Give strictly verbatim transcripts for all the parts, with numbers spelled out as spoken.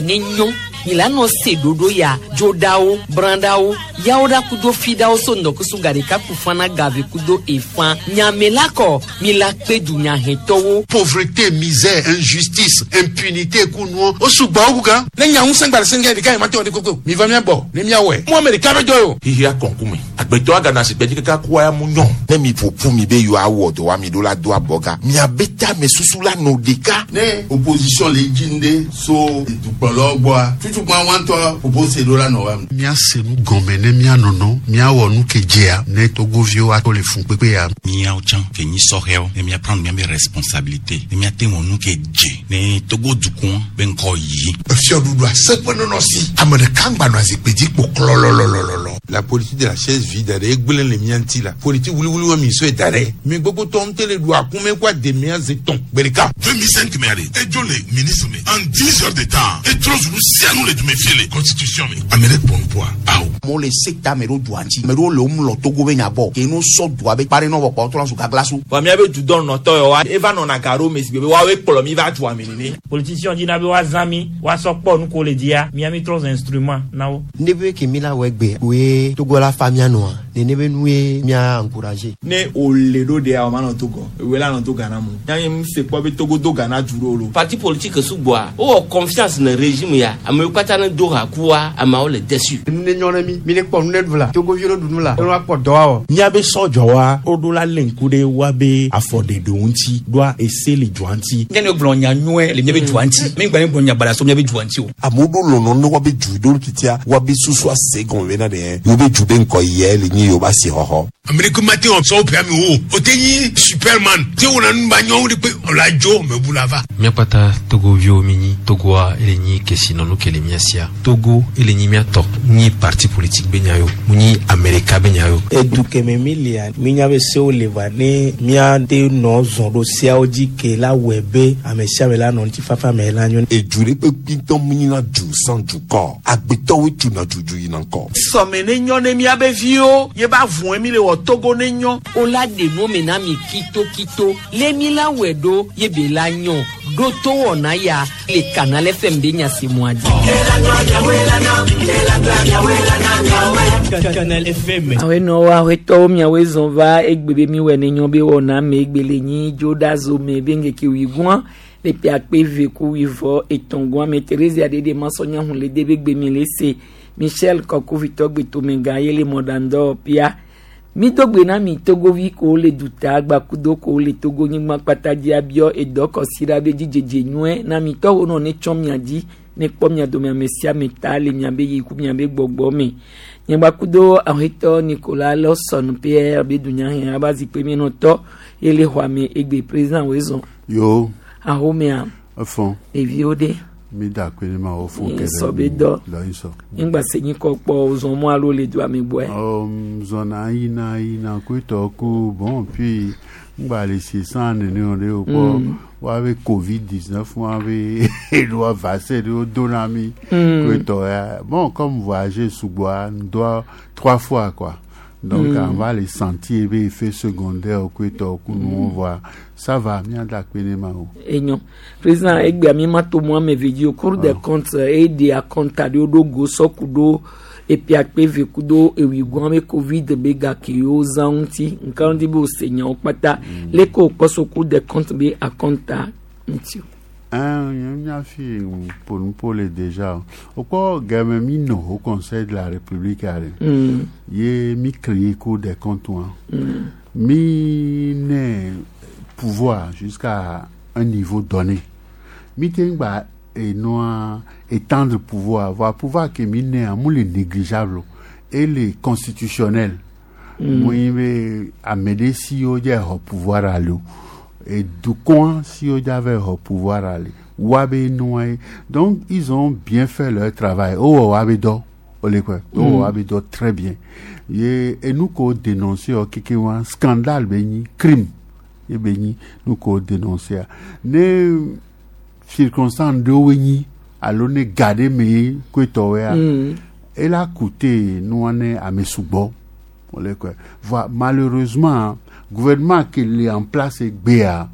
ya ne nyɔ mi la nɔ se ɖoɖo ya dzoɖawo brãɖawo yawo ɖa kudo fiɖawo so ŋdɔkusu gaɖeka ku fana gave kudo efã nyame la kɔ mi la kpe dunyahetɔwo. Pauvreté, misère, injustice, impunité kunuɔ o sugbɔ wo gan. Ne nya ŋusẽ gba le sɛngɛ ɖeka yi ma te wɔ de koko mi va mía gbɔ ne míawɔe mu ame ɖeka be dɔ ye o. Xixia kɔnkume agbetɔ agana si gbɛdzi kaka kua ya mu nyɔ. Ne mi ƒoƒu mi be yewoawɔ dɔ wa mi ɖo la do abɔga miabe tame susu la nɔ ɖeka. Ne opposition le dzi ŋɖe so dukplɔlawo gbɔa tutukpa wa ŋutɔ propose ɖo la nɔ wa. Míase nu gɔme ne míanɔnɔ míawɔ nu ke dzea ne togoviwo ato le fun kpekpe ya. Míawo tsã ke nyi sɔhɛwo ne míaprendre míabe responsabilité ne míate wɔ nu ke dze ne Togo dukɔ be ŋkɔ yi. Efiɔɖuɖu aseƒe nɔnɔ si ame ɖeka ŋgba nɔ azikpui dzi kpo klɔlɔlɔlɔlɔ. La politique de la chaise vide ɖe egblẽ le mía ŋuti la politique wuliwuli wa mi sɔe da ɖe mi gbogbo tɔ ŋutɔ le ɖu akume kó ademea ze tɔn gbe ɖeka. deux mille cinq mɛ ale edzo le ministre me en dix heures de temps etrɔ zulu sianu le dume fie le constitution me ame ɖe kpɔ nuƒoa awo. Amewo le sekta me ɖo dua ŋuti ame ɖewo le wo mlɔ Togo be nya gbɔ ke no sɔ dua be kpa ɖe nɔ vɔ kpɔ trɔ zu gagla so. Vɔ míabe dudɔ nɔtɔ yɔ wa eva nɔna ga ɖo me si be woawoe kplɔ mi va dua me nene. Politicien dina be woazã mi woasɔ kpɔ nu ko le dzia mía mi trɔ zu instrument na wo. Ne be ke mi la wɔ egbe koe Togo la fa mía nɔa nene be nu ye mía encourager. Ne o le ɖo ɖea o ma nɔ Togo ewe la nɔ to Ghana mo yanyi mu se kpɔ be Togo do Ghana du ɖo lo. Parti politique sugbɔa wowɔ confiance ne régime ya amewo katã ne do ha kua ameawo le déçu. Nu ne nyɔ ne mi mi ne kpɔ nu ne ɖu la togoviwo ne ɖu nu la ne woakpɔ dɔ awɔ. Míabe sɔdzɔwa woɖo la lé ŋku ɖe woabe afɔɖeɖewo ŋuti ɖoa ese le dua ŋuti. Nye ne gblɔ nya nyuie le míabe dua ŋuti mi gba ne gblɔ nya baɖa so míabe dua ŋuti o. Amewo ɖo lɔlɔ ne woabe du ɖo titia woabe susu ase gɔme bena ɖe yewo be du be ŋkɔ yɛ le nyi yewo be asixɔxɔ. Amerika ma te wɔ sɔwɔ ƒe ame wo o te nyi superman te wɔna nu ba nyɔwo de kpe ɔla dzo mɛ bu la va. Míakpata togoviwo mi nyi Togoa ele nyi kesinɔnu ke le mía sia Togo ele nyi míatɔ nyi parti politique be nya yo mu nyi Amerika be nya yo. Edu keme mi lia minya be sewo le va ne míate nɔ zɔn ɖo seawo dzi ke la wɔe be ame sia ame la nɔ ŋutifafa me la nyo. Edu ɖe kpekpe ŋutɔ mu nyina du sans dukɔ agbetɔwoe tuna dudu yina ŋkɔ. Sɔme ne nyɔ ne míabe viwo ye ba vɔe mi le wɔ Togo ne nyɔ. O la ɖe nu me na mi kitokito le mi la wɔe ɖo ye be la nyɔ ɖo to wɔna ya le Canal F M be nyasemua dzi. Canal F M. Awenɔwo awetɔwo miawoe zɔn va egbe be mi wɔ ne nyɔ be wɔna me egbe le nyi dzoɖa me be ŋkeke wuigoa le ƒe akpe eve ku wuivɔ etɔ̃ me Therese aɖeɖe masɔnya hun le de be gbe mi le se Michel Kɔkuvitɔ gbetomegã ye le mɔɖaŋdɔ pia mi do gbe na mi togovi ko le duta gbakudo ko le Togo nyigba kpata dzi abiɔ edɔ kɔsi ɖa be dzidzedze nyuie na mi tɔwo nɔ ne tsɔ mia dzi ne kpɔ mia dome ame sia ame ta le miabe yi ku miabe gbɔgbɔ me nyagbakudo awetɔ Nicolas Lawson Pierre be dunyahe aba zikpui menɔtɔ ye le xɔa me egbe président woe zɔn. Yo. Ahomea. Efɔn. Ɖeviwo ɖe. Mi da akpe ne ma wo fún kɛlɛ. Sɔ be dɔ. Lɔyin sɔ. Ŋgba se nyi kɔ kpɔ zɔn mɔ alo le dua me gbɔɛ. Um, zɔna yina yina ko ku bon puis ŋgba le sisan nene o de o kpɔ Mm. woabe covid dix-neuf woabe eɖoa vaccin ɖewo do na mi Mm. ko etɔ ya bon comme voyager sugbɔa doit trois fois quoi donc Mm. on va les sentir ebe effet secondaire ko etɔ ku nu on voit ça va mia da akpe ne ma o. Enyo président egbea mi ma to mɔ ame ve dzi o Cour des comptes eye akɔnta ɖewo ɖo go sɔku ɖo epi akpe eve kudo ewuigoa be covid be gake yewo zã ŋuti nka ŋuti be wòse nyawo kpata leke wòkpɔ so Cour des comptes be akɔnta ŋuti o. Un, mia fi ƒo le déjà o kpɔ game mi nɔ au Conseil de la République ale Mm. ye mi créé Cour des comptes wa Mm. mi ne pouvoir jusqu'à un niveau donné mi te ŋgba enua étendre pouvoir voir pouvoir ke mi ne mu le négligeable et le constitutionnel Mm. mu yi be ame ɖe si wo dze xɔ pouvoir ale o edukɔa si wo dze ava xɔ pouvoir ale woabe nua ye donc ils ont bien fait leur travail wowɔ woabe dɔ wole kɔe wowɔ Mm. woabe dɔ très bien ye enu ko dénoncer wɔ keke wa scandale be nyi crime ye be nyi nu ko dénoncer ne circonstance ɖewoe nyi alo ne ga ɖe me ye koetɔwoea Mm. ela coûté nua ne ame sugbɔ wole kɔe voa malheureusement gouvernement qui est en place egbea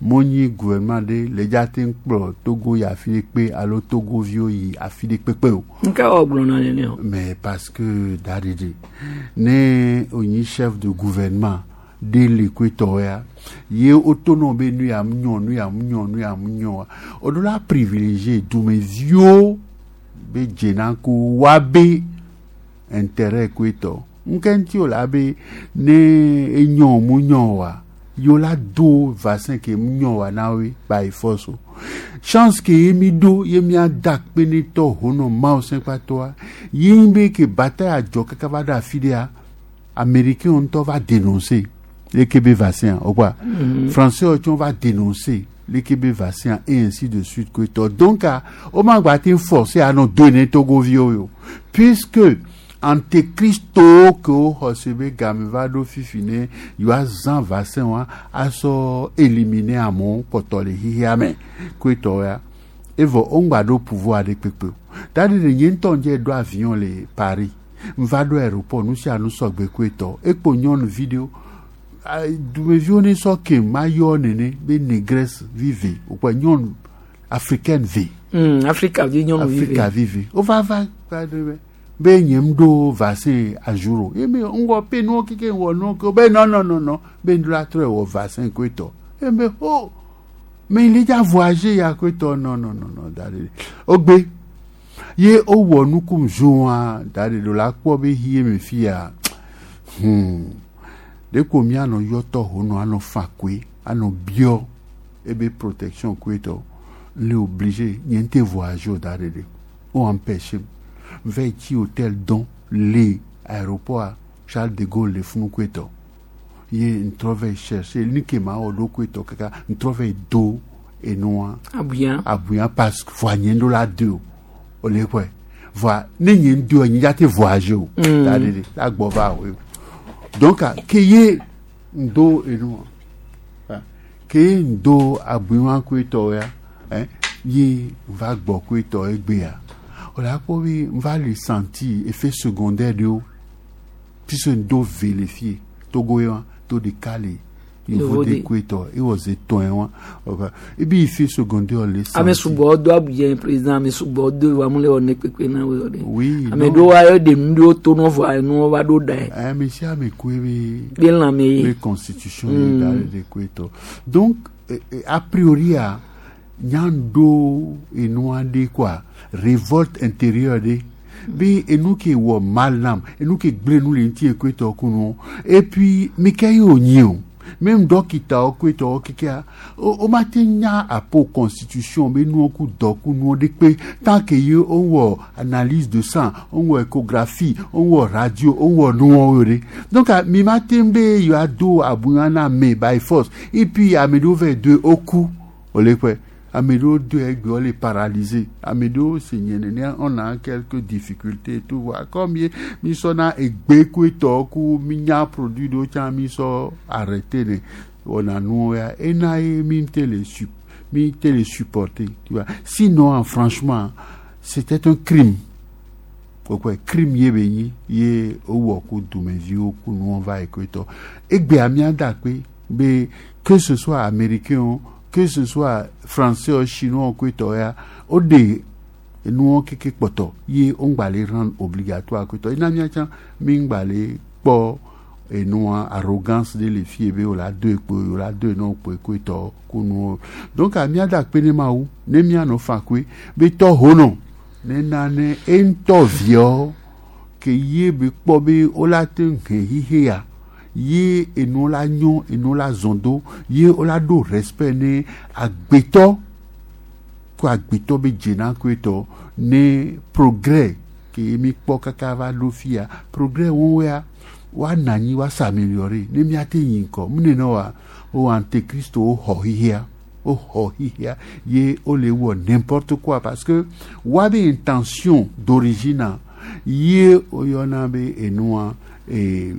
Monyi gouvernement de le dza te ŋu kplɔ Togo yi afi ɖe kpe alo Togoviwo yi afi ɖe kpekpe o. Nka wɔ gblɔna nene o. Mais parce que daɖeɖe ne wònyi chef de gouvernement ɖe le koetɔwo ya ye wotonɔ be nu ya mu nyɔ nu ya mu nyɔ nu ya mu nyɔa woɖo la privilégier dumeviwo be dzena ko woabe intérêt koetɔ ŋke ŋuti o la be ne enyɔ mu nyɔ oa yewo la do vaccin ke mu nyɔ oa na woe by force o chance ke ye mi ɖo ye mia da akpe ne tɔ honɔ mawu sẽkpatɔa ye nyi be ke bataille adzɔ kaka va ɖo afi ɖea américain ŋutɔ va dénoncer leke be vaccin o quoi Mhm. français tsɔ va dénoncer leke be vaccin et ainsi de suite koetɔ donc a wo ma gba te forcer anɔ do ne togoviwo yo puisque antéchristo ke woxɔ se be game va ɖo fifi ne yewoazã vaccin wa asɔ éliminer amewo kpɔtɔ le xexea me koetɔ ya evɔ woŋgba ɖo pouvoir ɖe kpekpe o tadi ɖe nye ŋutɔ ŋdze ɖo avion le Paris nva ɖo aéroport nu sia nu sɔgbe koetɔ ekpo nyɔnuvi ɖewo ah, dumeviwo ne sɔ ke ma yɔ nene be négresse vive wokpɔ nyɔnu africaine ve Mm, Afrika vi nyɔnuvi Afrika ve. vive wova va va ɖe be be nye ŋu ɖo vaccin à jour o ye me ŋgɔ pe nuwo keke wɔ nuwo ke be non non non non be ŋu la trɔe wɔ vaccin koetɔ ye me ho mais il est déjà voyagé ya koetɔ non non non non da ɖe wogbe ye wowɔ nukum zoa da ɖe ɖo la kpɔ be hie me fia hmm ɖeko mianɔ yɔtɔ honɔ anɔ fa koe anɔ biɔ ebe protection koetɔ le obligé nye ŋute voyage o da ɖe ɖe wo empêché va yi tsi hôtel dɔn le aéroport a Charles de Gaulle le funu koetɔ ye ŋtrɔ va yi chercher ni ke ma wɔ ɖo koetɔ kaka ŋtrɔ va yi do enua Abuya. abuya parce que voa nye ŋɖo la do o o le kɔe voa ne nye ŋdo nye dza te voyage o Mm. da ɖe ɖe la gbɔ va o donc a, ke ye ŋdo enua ah, ke ye ŋdo abuya koetɔ ya hein, ye va gbɔ koetɔ egbea o la kpɔ be va le sentir effet secondaire ɖewo puisque ŋdo ve le fie Togo ye wa to ɖeka le yevo de Yevo de. koetɔ ewɔ ze tɔn wa ebi effet secondaire le sentir Ame sugbɔ do abuya président ame sugbɔ do wa mu le wɔ ne kpekpe na wo ɖe. Oui, Ame non. ɖewo wa yɔ de nu ɖewo to nɔ vɔa enuwo va ɖo da ye. ame sia ame koe be Be lãme ye. be constitution Mm. ye da ɖe ɖe koetɔ donc eh, eh, a priori a nyaŋdo enua ɖe quoi révolte intérieure ɖe be enu ke wɔ mal nam enu ke gblẽ nu le ŋuti koetɔ kunu et puis mi ke ye wònyi o même dɔkitawo koetɔwo kekea wo wo ma te nya apo constitution be nuwo ku dɔ ku nuwo ɖe kpe tant que ye wowɔ analyse de sang wowɔ échographie wowɔ radio wowɔ nuwo ɖe donc ah, mi ma te be yewoa do abuya na ame by force et puis ame ɖewo va yi do woku wòle kpɔe ame ɖewo do egbe wole paralysé ame ɖewo se nye nene on a quelques difficultés et tout voilà comme ye mi sɔna egbe koetɔ ku mi nya produit ɖewo tsã mi sɔ arrêté ne wɔna nuwo ya ena ye mi te le su mi te le supporter tu vois sinon franchement c'était un crime kɔkɔe crime ye be nyi ye wowɔ ku dumeviwo ku nuwo va yi koetɔ egbea mía da akpe be que ce soit américain o que ce soit français o chinois koetɔ ya woɖe enuwo keke kpɔtɔ ye woŋgba le rendre obligatoire koetɔ ena mía tsã mi ŋgba le kpɔ enua arrogance ɖe le fie be wola do ekpo wola do enua kpo koetɔ ku nuwo donc a mía da akpe ne mawu ne mía nɔ fa koe be tɔ honɔ ne nane eŋutɔ viɔ ke ye be kpɔ be wola te ŋu he xixe ya ye enuwo la nyɔ enuwo la zɔn do ye wola ɖo respect ne agbetɔ ko agbetɔ be dzena koetɔ ne progrès ke mi kpɔ kaka va ɖo fia progrès wɔn ya woanɔ anyi woa s'améliorer ne míate yi ŋkɔ mu nene wa wo antéchrist wo xɔ xixia woxɔ xixia ye wole wɔ n'importe quoi parce que woabe intention d'origine ye woyɔna be enua eh,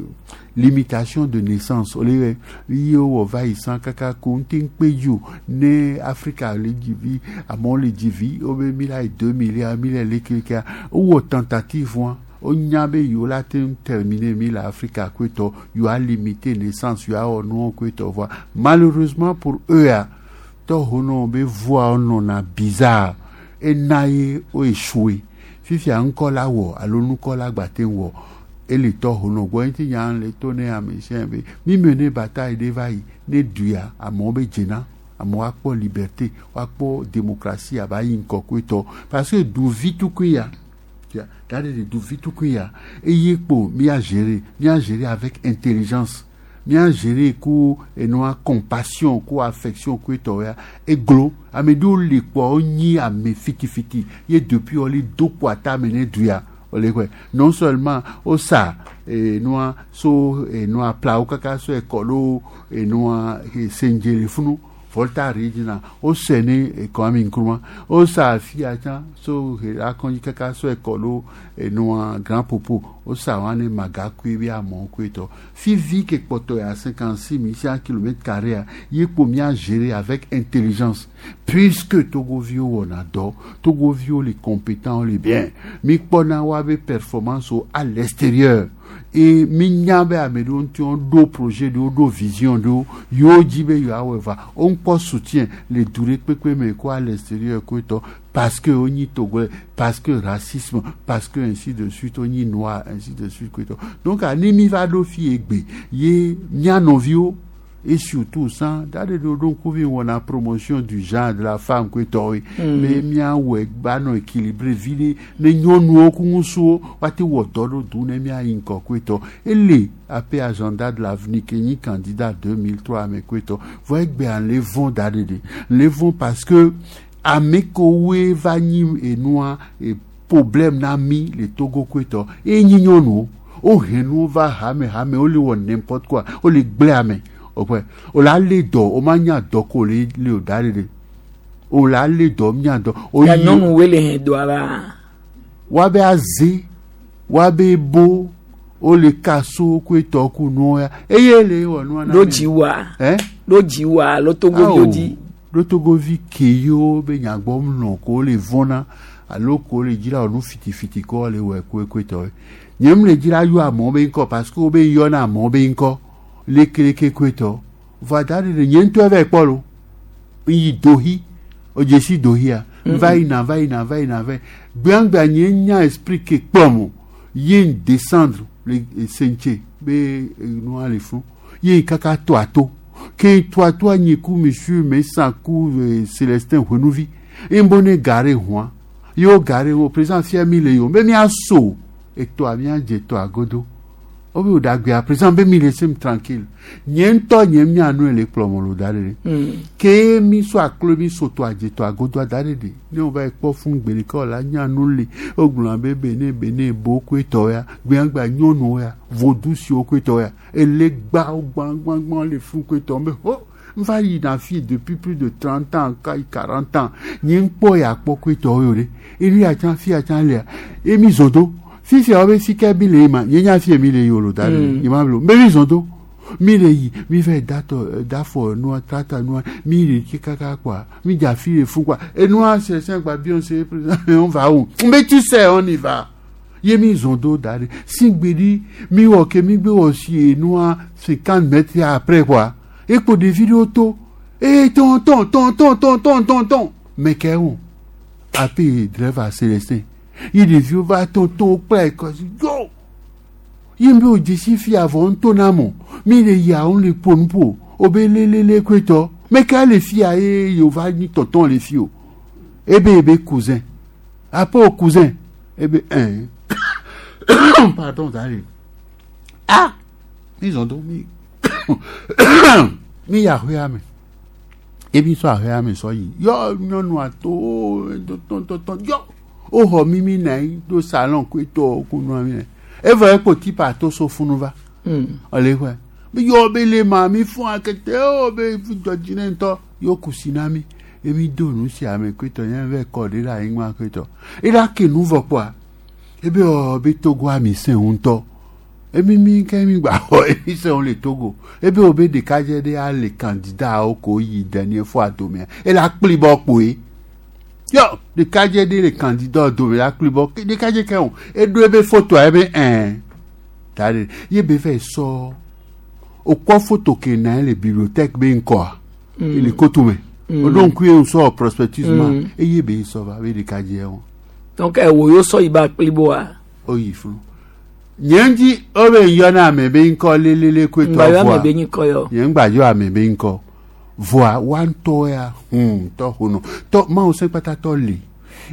limitation de naissance ole ye wowɔ va yi san kaka ko ŋute ŋkpe dzi o ne Afrika le dzi vi amewo le dzi vi wobe mi la yi deux milliards mi le lekekea wowɔ tentative wa wonya be yewo la te ŋu terminer mi le Afrika koetɔ yewoa limiter naissance yewoawɔ nuwo koetɔ voa malheureusement pour eux ya Tɔhonɔ be voa nɔna bizarre ena ye wo échoué fifia ŋkɔ la wɔ alo nukɔ la gba te wɔ ele tɔhonɔ gbɔ ŋuti nya le to ne ame sia be mi me ne bataille ɖe va yi ne duya amewo be dzena amewo akpɔ liberté woakpɔ démocratie aba yi ŋkɔ koetɔ parce que duvi tukui ya da de de duvi tukui ya eye kpo mia gérer mia gérer avec intelligence mia gérer ku enua compassion ku affection ku etɔ ya eglo ame ɖewo le kpɔ wonyi ame fitifiti ye depuis wole do kpo atame ne duya wole kɔe non seulement wosa enua so enua plawo kaka so ekɔ ɖo enua sendze le funu Volta Regional wosɛ ne Kwame Nkrumah wosa afia tsã so akɔndzi kaka so ekɔ ɖo enua Grand Popo wosa wa ne Magakui be amewo koe tɔ fivi ke kpɔtɔ ya cinquante six mille cent kilomètres carrés ye kpo mia gérer avec intelligence puisque Togoviwo wɔna dɔ Togoviwo le compétent le bien mi kpɔna wa be performance à l'extérieur et mi nya be ame ɖewo ŋuti ɖo projet ɖewo ɖo vision ɖewo yewo dzi be yewoawɔe va wo ŋkpɔ soutien le du ɖe kpekpe me ko à l'extérieur koe tɔ parce que wonyi togolais parce que racisme parce que ainsi de suite wonyi noir ainsi de suite koe tɔ donc ne mi va ɖo fi egbe ye mía nɔviwo et surtout ça da de do ŋkuvi wɔna promotion du genre de la femme koe tɔwoe be míawɔe gbanɔ équilibré vi ɖe ne nyɔnuwo ku ŋutsuwo woate wɔ dɔ ɖo du ne míayi ŋkɔ koe tɔ ele ape agenda de l'avenir ke nyi candidat deux mille trois ame koe tɔ vɔ egbea le vɔn da ɖe ɖe le vɔn parce que ame kowoe va nyi enua e problème na mi le Togo koe tɔ e nyi nyɔnuwo wohe nuwo va hame hame wole wɔ n'importe quoi wole gblẽ ame o o la lé dɔ o ma nya dɔ ko le le o da de o la lé dɔ nya dɔ. Ya nyɔnu wo le hɛn dɔa la. Wa be aze wa be bo o le kaso ko etɔ ku nua ya eye le wɔ nua na mi. Ló dzi wa. Ɛ. Ló dzi wa ló Togovi wo dzi. Ló Togovi ke yiwo be nyagbɔ nɔ ko le vɔna alo ko le dzi la wɔ nu fitifiti ko le wɔ ekoe tɔ nye mu le dzi la yɔ amewo be ŋkɔ parce que wo be yɔna amewo be ŋkɔ. Lekeleke koetɔ va da ɖe ɖe nye ŋutɔ va kpɔ lo yi dohi o dzesi dohia va yina va yina va yina va gbeagbea nye nya esprit ke kplɔm o ye n descendre le sentse be nua le funu ye kaka to ato ke to ato anyi ku monsieur Mesa ku Célestin Huenuvi ye n bɔ ne gare hɔn ye wo gare hɔn président fia mi le yi o be mia so etoa mia dze toa godo obi o dagbe président be mi laissez me tranquille nye ŋutɔ nye mia nu le kplɔ mo lo da ɖe ke mi so aklo mi so to adze to agodo da ɖe ɖe ne wo va kpɔ fún gbe ɖeka o la nya nu le o gblɔ be bene bene bo koe tɔ ya gbeagba nyɔnuwo ya vodu siwo koe tɔ ya ele gba wo gbãgbãgbã le fún koe tɔ be ho n va yina fi depuis plus de trente ans quarante ans nye ŋkpɔ ya kpɔ koe tɔ yio ɖe enu ya tsã fi ya tsã lea emi zɔ do fifia wo be fika mi le yi ma nye nya fie mi le yi o lo da ɖe yi ma blo mbe mi zɔn do mi le yi mi va datɔ dafɔ nua tata nua mi le tsi kaka quoi mi dza fi le fu quoi enua sɛsɛn gba Beyoncé président on va où mbe tu sais on y va ye mi zɔn do da ɖe sigbe ɖi mi wɔ ke mi gbe wɔ si enua cinquante mètres après quoi ekpo ɖevi ɖewo to ee tɔn tɔn tɔn tɔn tɔn tɔn tɔn tɔn mɛ kɛ wo ape driver Célestin yi ɖeviwo va tɔntɔn kple ekɔsi yo yi mi o dzesi fi avɔ ŋutɔ na mɔ mi le yia wo le ƒo nuƒo o be lelele koetɔ meka le fia ye yewo va nyi tɔntɔn le fi o ebe ebe cousin après o cousin ebe ɛn pardon zale ah mi zɔn do mi mi yi ahoea me ebi sɔ ahoea me sɔ yi yɔ nyɔnua to tɔntɔntɔn yɔ o xɔ mimi na yi do salon koe tɔ ko nua mi nɛ evɔ ekpo tipa to so funu va ɔle xɔe yɔ be le ma mi fún akete o be dzɔdzi ne ŋutɔ yɔ kusi na mi emi do nu si ame koe tɔ nye vɛ kɔ ɖe le anyigba koe tɔ ela ke nu vɔ kpɔa ebe ɔ be Togo ami sẽ ŋutɔ emi mi ke mi gba xɔ emi sẽ le Togo ebe o be ɖekadze ɖe ale candidat wo ko yi dernier fois domea ela kpli bɔ kpoe yɔ ɖekadze ɖe le candidat dome la kpli bɔ ɖekadze ke o eɖo ebe fotoa ebe ɛn ta ɖe ye be fɛ sɔ o kɔ foto ke na ye le bibliothèque be ŋkɔa ele kotome Mm. O ɖo ŋku ye wòsɔ prospectus ma Mm. eye be sɔ va be ɖeka dze wɔn. Donc ɛwò yóò sɔ yiba akpliboa. O yi funu. Nye ŋuti o be yɔna ame be ŋkɔ lelele koe tɔ Ŋgba yɔ voa ame be ŋkɔ yɔ. Nye ŋgba yɔ ame be ŋkɔ voa wa ŋutɔ ya hmm tɔ hono tɔ mawu se kpata tɔ li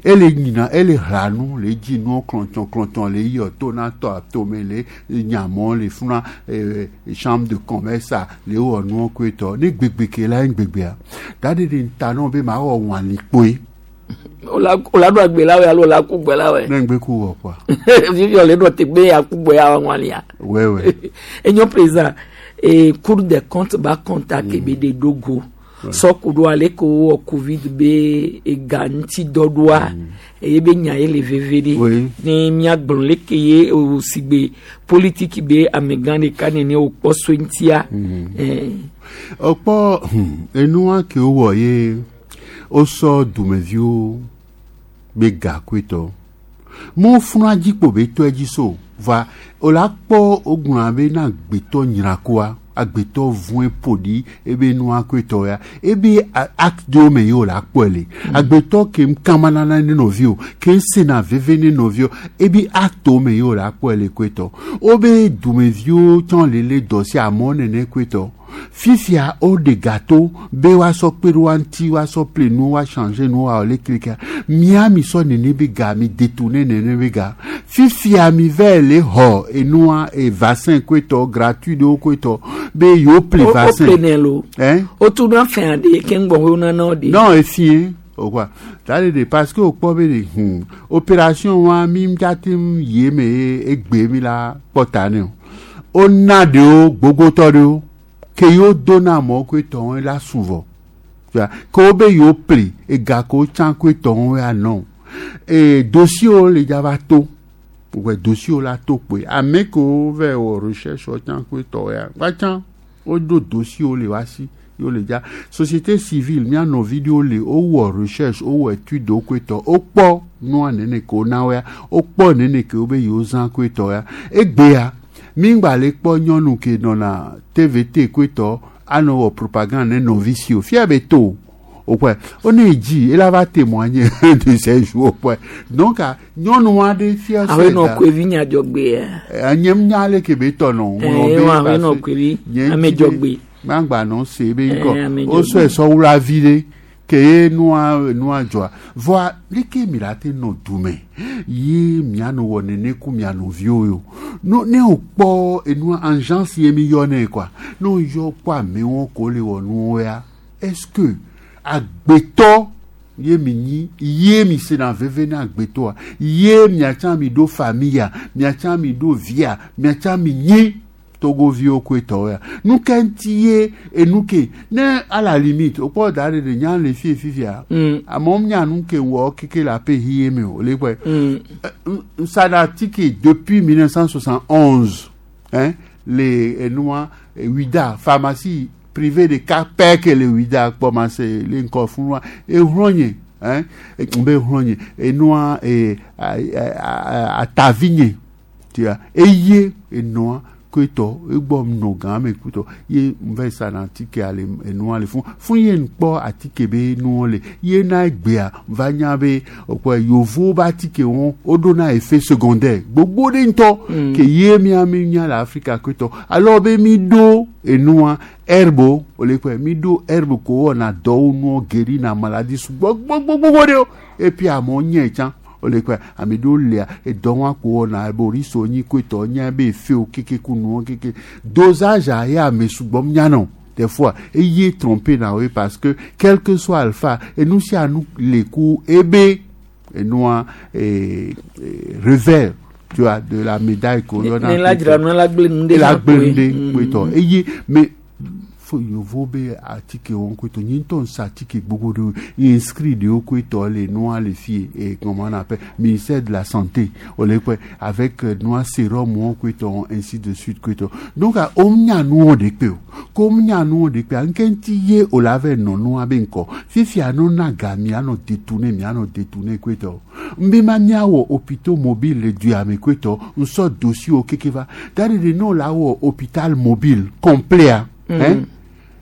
ele nyina ele hla nu le dzi nuwo klɔntɔn klɔntɔn le yɔ to na tɔ atome le nyamɔ le funa ee chambre de commerce a le wɔ nuwo koe tɔ ne gbegbe ke la ye gbegbea da de de ta nɔ be ma wɔ wɔni kpoe. O la o la do agbe la wɛ alo o la ku gbɛ la wɛ. Ne ŋgbe ku wɔ kɔa. Fifi o le do te gbe ya ku gbɛ ya wɔn lia. Wɛwɛ. Enyo président e Cour des comptes ba contact be de dogo. Sɔkudo ale ko wɔ covid be ega ŋuti dɔ ɖoa eye be nya ye le veve ɖe ne miagblɔ leke ye o sigbe politiki be amegã ɖeka nene wòkpɔ so ŋutia. Ọkpɔ enua ke wowɔ ye wosɔ dumeviwo be ga koetɔ mo funa dzikpo be tɔ edzi so va wola kpɔ wogblɔna be na agbetɔ nyrakoa agbetɔ vɔe ƒoɖi ebe nua koetɔ ya ebe acte ɖewo me ye wòle akpɔe le agbetɔ ke ŋkamanana ne nɔviwo ke ŋsena veve ne nɔviwo ebe acte me ye wòle akpɔe le koetɔ wobe dumeviwo tsã le le dɔ si amewo nene koetɔ fifia woɖe gâteau be woasɔ kpe ɖe woa ŋuti woasɔ ple nu woa changer nu woawɔ le klika mía mi sɔ nene be ga mi détourner nene be ga fifia mi vɛ le xɔ enua e vaccin koetɔ gratuit ɖewo koetɔ be yewo ple O vaccin. ple nɛ lo. Hein? O tu na fɛn aɖe ke ŋgbɔ wo nana o de. Non, efie o quoi. C'est-à-dire parce que o kpɔ be de hmm, opération wa mi ŋdza te ŋu yi eme ye egbe mi la kpɔ ta ne o. Wona ɖewo gbogbotɔ ɖewo ke yewo do na amewo koetɔ wɔn la su vɔ. Tu vois, ke wo be yewo ple ega ke wo tsã koetɔ wɔn ya nɔ. E dossier wo le dza va to. Wɔ dossier wo la to kpoe. Ame kewo va wɔ recherche wo tsã koetɔ ya va tsã woɖo dossier wo le wa si yewo le dza. Société civile mía nɔvi ɖewo le wowɔ recherche wowɔ étude wo koetɔ wokpɔ nua nene ke wona wo ya wokpɔ nene ke wo be yewo zã koetɔ ya. Egbea mi ŋgba le kpɔ nyɔnu ke nɔna T V T koetɔ anɔ wɔ propagande ne nɔvi si o fia be to o kɔe wo ne dzi ela va témoigner de ces jours kɔe donc a nyɔnu aɖe fia Awo nɔ koevi nyadzɔgbe ya. Nye nya ale ke be tɔ nɔ Eh, wa awo nɔ koevi amedzɔgbe. Gbangba nɔ se be Eh, ŋkɔ amedzɔgbe. wosɔe sɔwula vi ɖe ke ye nua nua dzɔa vɔa leke mi la te nɔ dume ye mianɔ wɔ nene ku mia nɔviwo yo no ne o kpɔ enua agence ye mi yɔ nɛ quoi ne o yɔ kpɔ amewo ko le wɔ nuwo ya est-ce que agbetɔ ye mi nyi ye mi sena veve ne agbetɔa ye miatsã mi ɖo famille ya miatsã mi ɖo via miatsã mi nyi togoviwo koetɔwo ya nu ke ŋuti ye enu ke ne à la limite o kpɔ da ɖe ɖe nya le fie fifia amewo nya nu ke wɔ keke le aƒe hi ye me o le kpɔe nsada atike depuis mille neuf cent soixante-onze hein le enua Ouidah pharmacie privée de ka pɛ ke le Ouidah kpɔmase le ŋkɔ funua ehlɔ nye hein be hlɔ nye enua e atavi nye tu vois eye enua koetɔ egbɔ nɔ gã me kutɔ ye nvɛ sa na atike ale enua le fún fún ye ŋkpɔ atike be nuwo le ye na egbea va nya be okpɔ yovo be atike wɔn woɖo na effet secondaire gbogbo ɖe ŋutɔ Mm. ke ye mia mi nya le Afrika koetɔ alors be mi ɖo enua herbe o le kpɔe mi ɖo herbe ko wɔna dɔwo nuwo guéri na maladie sugbɔ gbogbogbogbo ɖewo et puis amewo nye tsã o le kpɔe ame ɖewo lia edɔ wa ko wɔna ebe oriso nyi koetɔ nye be efewo keke ku nuwo keke dosage a ye ame sugbɔ nya nɔ des fois eye trompé na wo parce que quel que soit alpha enu sia nu le ku ebe enua eh, eh, revers tu vois de la médaille ko yɔna Ne la dzra nu la gblẽ nu ɖe la hã gblẽ nu koe. ɖe Mm. koetɔ eye mais fo yovo be atike wɔn koetɔ nye ŋutɔ nsa atike gbogbo ɖewo inscrit ɖewo koetɔ le nua le fie et comment on appelle ministère de la santé o le kpɔe avec euh, nua sérum wɔn koetɔ ainsi de suite koetɔ donc a wo nya nuwo ɖe kpe o ko wo nya nuwo ɖe kpea nke ŋuti ye o la vɛ nɔ nua be ŋkɔ fifia no na ga mianɔ détourner mianɔ détourner koetɔ nbe ma miawɔ hôpitaux mobile le dua me koetɔ nsɔ dossier wo keke va da ɖe ɖe ne o la wɔ hôpital mobile complet a Mm. hein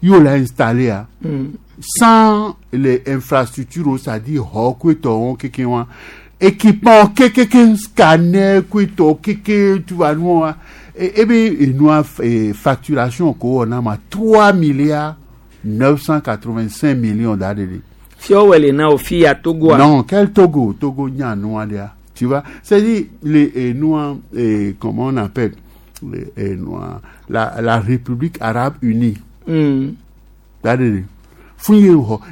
ye o la installé a Mm. Sans les infrastructures, c'est-à-dire xɔ koetɔwo keke wa équipement kekeke scanner koetɔ keke tu vois nu wa ebe enua facturation ko wɔna ma trois milliards neuf cent quatre-vingt-cinq millions d'adélé. Fiɔ wɛlɛ na o fi ya Togo. Non, quel Togo? Togo nya nua dia. Tu vois, c'est-à-dire les noirs, et comment on appelle les noirs, la la République arabe unie. Mm. D'adélé.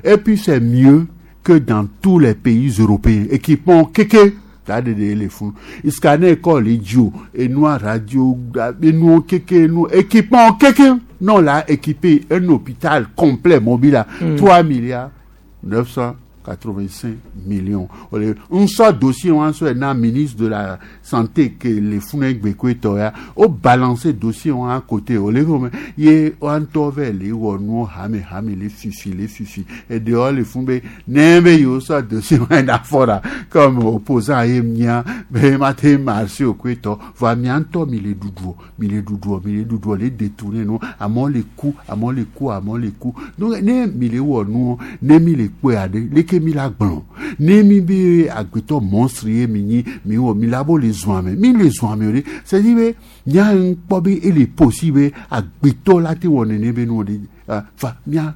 Et puis c'est mieux que dans tous les pays européens. Équipement kéké, les fonds. Scanner école idiot, et noir radio, et nous kéké, nous équipement kéké. Non là, équipé un hôpital complet mobile à mm. trois milliards neuf cent quatre-vingt-cinq millions. On sort dossier, on sort un ministre de la santé que les fonds gbekwe au balancer dossier on à côté. On les y on tove les ou hame hame les fifi les fifi et dehors les fonds n'aime yo sort dossier on a fora comme opposant et mia mais matin marché au kweto va mianto mille doudou mille doudou mille doudou les détourner non à mon les coups à mon les coups à mon les coups donc ne mille ou nous ne mille coups à les mi la gblɔ ne mi be agbetɔ monstre ye mi nyi mi wɔ mi la bo le zɔn ame mi le zɔn ame o de c'est à dire be nya ŋkpɔ be ele possible be agbetɔ la te wɔ nene be nu de fa mia.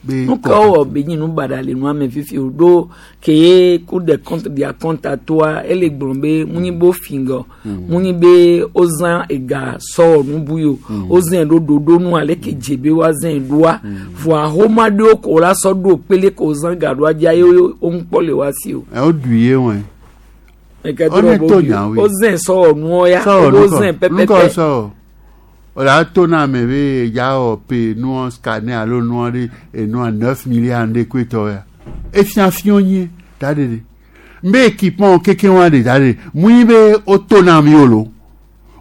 Nu ka wɔ be nyi nu baɖa le nua me fifi o ɖo ke ye Cour des comptes dia compte atoa ele gblɔ be mu nyi be fingɔ mu nyi be wozã ega sɔ wɔ nu bu yi o wozã ɖo ɖoɖo nu ale ke dze be woazã ɖoa voa xɔma ɖewo ko la sɔ ɖo kpele ko wozã ga ɖoa dzia ye wo ŋkpɔ le wa si o. Ɛ o du ye wɔn. Wozã sɔ wɔ nuwo ya wozã pɛpɛpɛ. O la to na ame be ya wɔ pe nua scanner alo nua ɖe enua neuf milliards ɖe koetɔ ya efia fiɔ nye da ɖe ɖe mbe équipement keke wa ɖe da ɖe mui be o to na mi o lo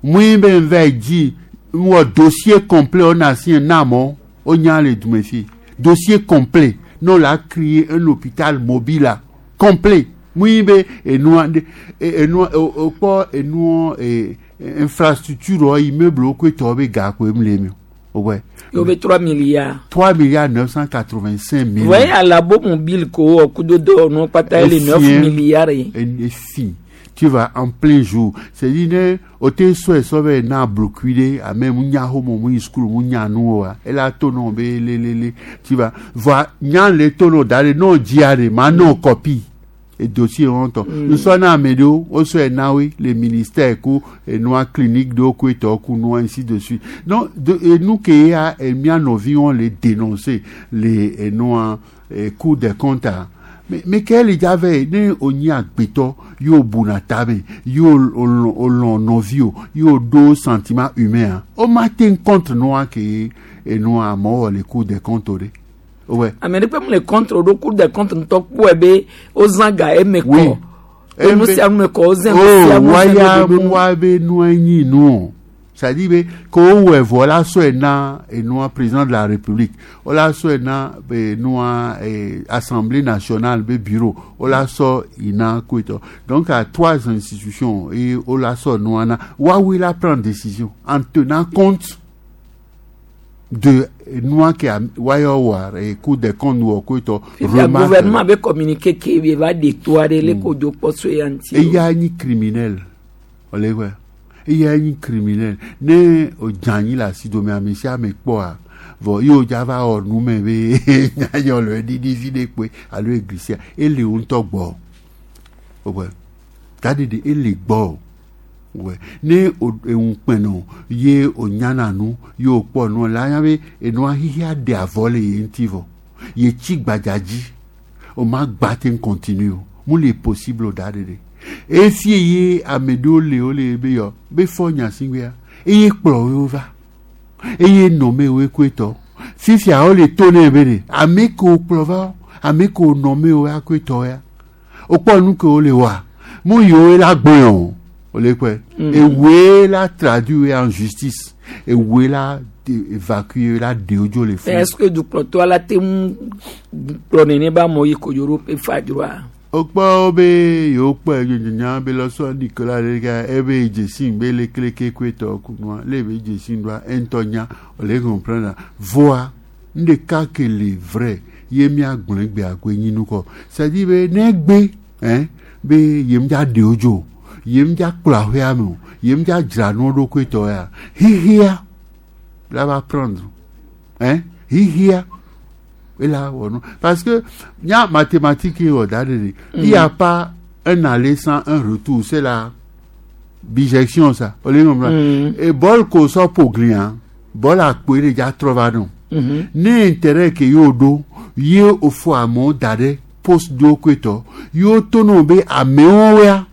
mui be nvɛ dzi wɔ dossier complet o na si na mɔ o nya le dume fi dossier complet n'o la créé un hôpital mobile complet mui be enua ɖe enua o kpɔ enua e. Infrastructure immeuble au côté be ga ko emle mi ouais yo be trois milliards trois milliards neuf cent quatre-vingt-cinq millions ouais à la bo mobile ko kudo do no pata les neuf milliards et si tu vas en plein jour c'est dire o te so so be na bloquer a même nya ho mo mu school mu nya nu wa et la to no be le le le tu vas voir nya le to no dare no diare ma no copie et dossier honto nous sommes à Medo au so nawe les ministères ku et noa clinique de ku ku noa ainsi de suite donc et nous qui a et mia nos vies on les dénoncer les et noa Cour des comptes mais mais quel il y avait ne oni agbeto yo bunatabe yo olon novio yo do sentiment humain o matin contre noa qui et noa mort les Cour des comptes ouais. Amérique peut le contre au Cour des comptes ntɔ kpɔe be wozã ga eme kɔ enu sia nu me kɔ wozã nu sia nu waya wa be nua nyi nu c'est-à-dire be ko wɔ vɔ la sɔe na enua président de la République o la sɔe na be nua Assemblée nationale be bureau o la sɔ ina koetɔ donc à trois institutions et o la sɔ nua na wa wi la prendre décision en tenant compte de noa qui a wayo et Cour des comptes ou quoi to le gouvernement avait communiqué qu'il va détourner les codes poste et il y a un criminel olé quoi il y a un criminel né o janyi la si do me amisia me po vo yo java o nu me be nyanyo le didi fi de pe alo eglise e le un to gbo o ouais tadi de e le gbo ouais ne o peno ye o nyana nu ye o po nu la nya be enu ahihi de avole ye ntivo ye chi gbajaji o ma gba te continue mu le possible da de de e fi ye amedo le o le be yo be fo nya singwe ya e ye kplo yo va e ye nommé o ekweto fifia o le tone be de ame ko kplo va ame ko nommé o akweto ya o po nu ko le wa mu yo la gboyon et où la traduit en justice et où la évacuer la déodio les fonds. Est-ce que du toi la te plonene ba moyi ko Europe e fa droit. Okpa obe yo pa nya be lo so Nicolas le ga ebe jesin be le kleke kweto kunwa le be jesin doit entonya o le comprendre voix Ndeka ke le vrai ye mia gblẽ gbe agoe nyi nu kɔ. C'est-à-dire be ne gbe hein be yem dza ɖe wo dzo yem dza kplɔ aƒea me o yem dza dzra nuwo ɖokui tɔ ya xixia la va prendre hein xixia ela wɔ nu parce que nya mathématique ye wɔ da ɖe de il y a pas un aller sans un retour c'est la bijection ça o le ŋlɔ Mm. e bɔl ko sɔ ƒo glia bɔl akpoe ɖe dza trɔ va nɔ Mhm. ne intérêt ke yewo ɖo ye wòfɔ amewo da ɖe poste ɖewo koetɔ yewo to no be amewo ya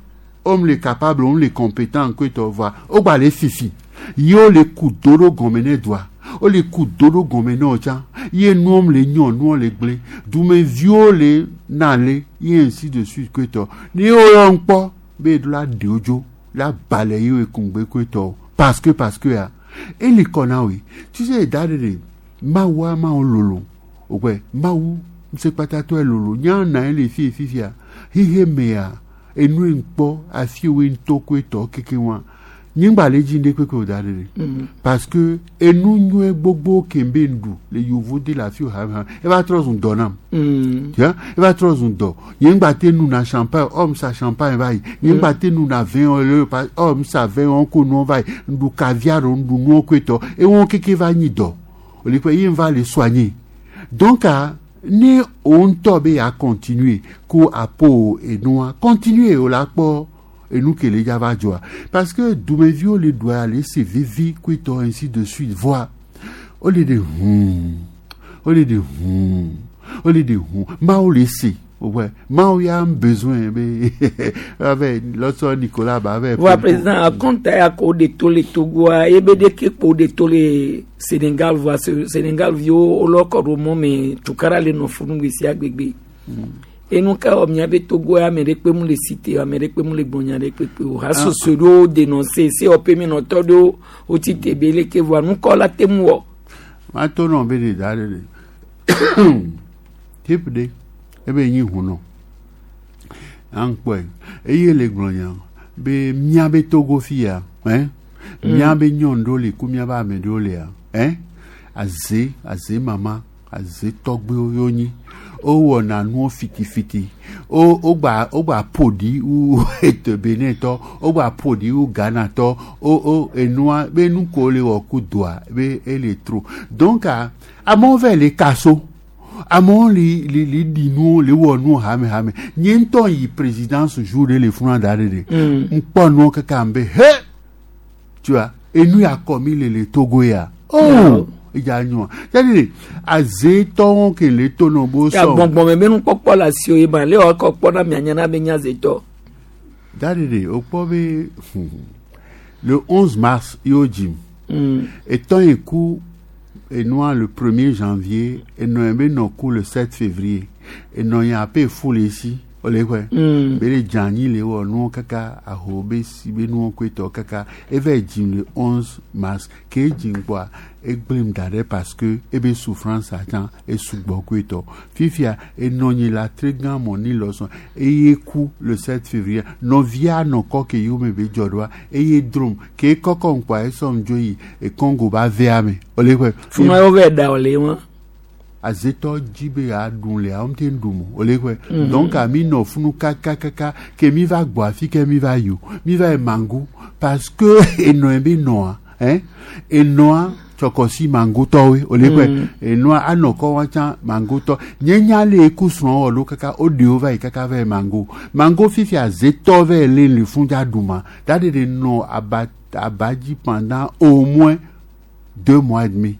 wome le capable wome le compétent koetɔ voa wogba le fifi yewo le ku do ɖo gɔme ne doa wole ku do ɖo gɔme ne wo tsã ye nuwo le nyɔ nuwo le gblẽ dumeviwo le na le ye ainsi de suite koetɔ ne yewo yɔ ŋkpɔ be ɖo la ɖe wo dzo la ba le yewo ekungbe koetɔ parce que parce que ya ele kɔ na woe tu sais da ɖe ɖe mawua mawo lolo ògbɛ mawu ŋusẽkpatatɔe lolo nya na ye le fi fifia xixe mea enu ye ŋkpɔ afi wo ŋutɔ tɔ keke wa nyigba le dzi ɖe kpekpe o da ɖe ɖe Mhm. parce que enu nyuie gbogbo ke be ŋɖu le yovo de le afi wo hame hame eva trɔ zu dɔ nam Mm. tu vois eva trɔ zu dɔ nye ŋgba te nuna champagne ɔm sa champagne va yi nye ŋgba te nuna vin o le pa ɔm sa vin wɔn ko nuwo va yi ŋɖu caviar o ŋɖu nuwo koe tɔ ewɔn keke va nyi dɔ o le kpe ye ŋva le soigner donc ah, ne o ŋutɔ be ya continuer ko apo enua continuer o la kpɔ enu ke le dza va dzɔa parce que dumeviwo le ɖua le se vivi koetɔ ainsi de suite voa o le de hum o le de hum o le de hum mawo le se ouais mawo ya un besoin be avec lɔsɔ Nicolas ba avec Voa président akɔnta ya ko de to le Togoa ebe de ke kpo de to le Sénégal voa Se- Sénégal viwo wolɔ kɔ ɖo mɔ me tukara le nɔ funu gbe sia gbegbe. Enu ka wɔ mia be Togo ya ame ɖe kpe mu le cité ame ɖe kpe mu le gbɔnya ɖe kpekpe o hasoso ɖewo dénoncer se wɔƒe mi nɔtɔ ɖewo wotsi te be leke voa nukɔ la te mu wɔ. ma to nɔ be de da ɖe de type ɖe ebe nyi hunɔ an kpɔe eye le gblɔ nya be mía be Togo fi ya hein mía be nyɔnu ɖewo le ku mía be ame ɖewo lea hein aze aze mama aze tɔgbewo yewo nyi wowɔna nuwo fitifiti wo wogba wogba ƒo ɖi wu ete Benin tɔ wogba ƒo ɖi wu Ghana tɔ wo wo enua be nu ko le wɔ ku doa be ele trop donc ah, amewo va le kaso amewo li li li ɖi nuwo le wɔ nuwo hame hame nye ŋutɔ yi présidence jour ɖe le funa da ɖe ɖe Mm. ŋkpɔ nuwo kaka be he tu vois enu ya kɔ mi le le Togo ya oh edza nyoa c'est-à-dire azetɔwo ke le to nɔ bo Ya sɔ gbɔngbɔn me nukpɔkpɔ le asiwo ye ma le wɔ kɔ kpɔ na mia nya na be nya zetɔ. da ɖe ɖe wokpɔ be le onze mars yewo dzim Mm. etɔn yi ku enua le premier janvier enɔ yi be nɔ ku le sept février enɔ yi ape fu le si wole kɔe Mm. be le dze anyi le wɔ nuwo kaka aho be si be nuwo koe tɔ kaka eva dzim le onze mars ke edzim kpɔa egblẽm da ɖe parce que ebe souffrance atsã esugbɔ koe tɔ fifia enɔ nyi la tre gã mɔ ni lɔsɔn eye ku le sept février nɔvia nɔ kɔ ke yiwo me be dzɔ ɖoa eye drom ke kɔkɔ ŋkpɔa esɔm dzo yi e Congo ba vea me wole kɔe Funua yewo vɛ da wòle wɔn. azetɔ dzi be yeaɖu le awo te ɖum o le kɔe Mhm. donc mi nɔ funu kakakaka ke mi va gbɔ afi ke mi va yi o mi va yi mangu parce que enɔ yi be nɔa hein enɔa tsɔkɔsi mangutɔwoe o le kɔe Mhm. enɔa anɔ kɔ wa tsã mangutɔ nye nya le eku srɔ̃ wɔ ɖo kaka o ɖewo va yi kaka va yi mango mango fifi azetɔ va yi le le fun dza ɖuma da de de nɔ aba aba dzi pendant au moins deux mois et demi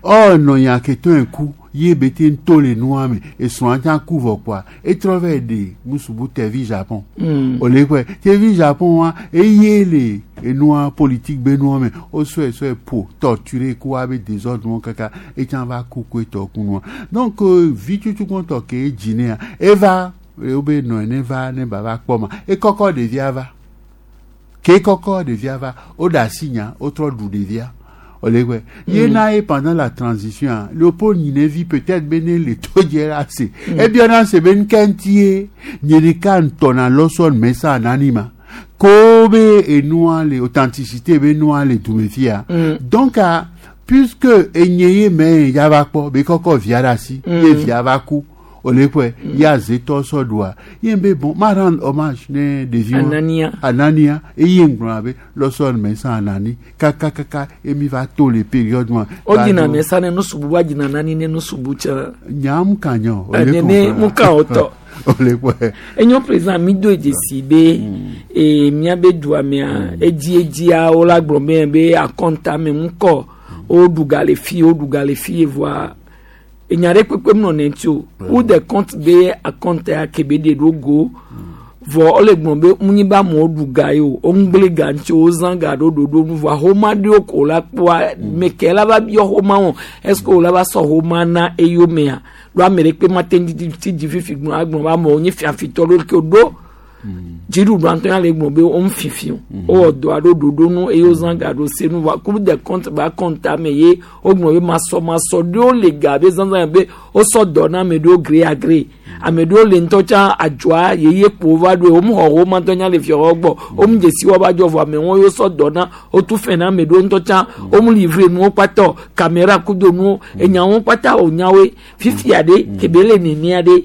ɔ nɔ nya ke to ŋku ye be te ŋto le nua me esrɔ̃a tsã ku vɔ kpoa etrɔ va yi ɖe musubu tevi Japon Mm. o le kɔe tevi Japon wa eye le enua politique be nua me o sɔe sɔe po torturer ku wa be désordre wɔn kaka etsã va ku koe tɔ ku nua donc euh, vi tutu kɔntɔ ke edzi nea eva wo be nɔ ne va ne ba va kpɔ ma ekɔkɔ ɖevia va ke kɔkɔ ɖevia va o ɖe asi nya o trɔ ɖu ɖevia o le kɔe ye na ye pendant la transition ah, Léopold Gninevi peut-être be ne le to dze la se ebiɔna se be nuke ŋuti ye nye ɖeka ŋutɔna lɔsɔn mesa nani ma ko be enua le authenticité be nua le dume fia Mm. donc ah, Puisque enye ye me ya va kpɔ be kɔkɔ via ɖe asi ye via va ku ole kɔe ye azetɔ sɔ ɖua ye be bon ma rendre hommage ne ɖevi wa Anania. Anania eye ŋgblɔna be lɔsɔ me san Anani kakakaka emi va to le période ma. O dina me sa ne nusubu wa dina nani ne nusubu tsã. Nyam ka nyɔ. Eh, nene mu ka o tɔ. Ole kɔe. Enyo président mi do dzesi be e miabe dua mea edzi edzia wo la gblɔ be be akɔnta me ŋkɔ wo ɖu ga le fi wo ɖu ga le fi voa enya ɖe kpekpe nɔ ne ŋuti o Cour des comptes be akɔnta ya ke be ɖe ɖo go vɔ wole gblɔ be ŋunyi be amewo ɖu ga ye o wo ŋgble ga ŋuti o wozã ga ɖo ɖoɖo nu voa xoma ɖewo ko la kpɔa me ke la va biɔ xoma wɔn est ce que wo la va sɔ xoma na eyomea ɖo ame ɖe kpe ma te ŋu ti dzi fifi gblɔ agblɔ be amewo nye fiafitɔ ɖo ke ɖo dziɖuɖua ŋutɔ ya le gblɔ be wo ŋu fifi o wowɔ dɔ aɖo ɖoɖo nu eye wozã ga ɖo se nu voa Cour des comptes be akɔnta me ye wogblɔ be masɔmasɔ ɖewo le ga be zãzã be wosɔ dɔ na ame ɖewo gré à gré ame ɖewo le ŋutɔ tsã adzɔa yeye kpo va ɖo wo xɔ wo ma ŋutɔ nya le fiawo gbɔ wo mu dzesi wa va dzɔ vɔ amewo yewo sɔ dɔ na wotu fɛn na ame ɖewo ŋutɔ tsã wo mu livre nuwo kpata caméra kudo nuwo enyawo kpata wònyawoe fifia ɖe kebe le nenea ɖe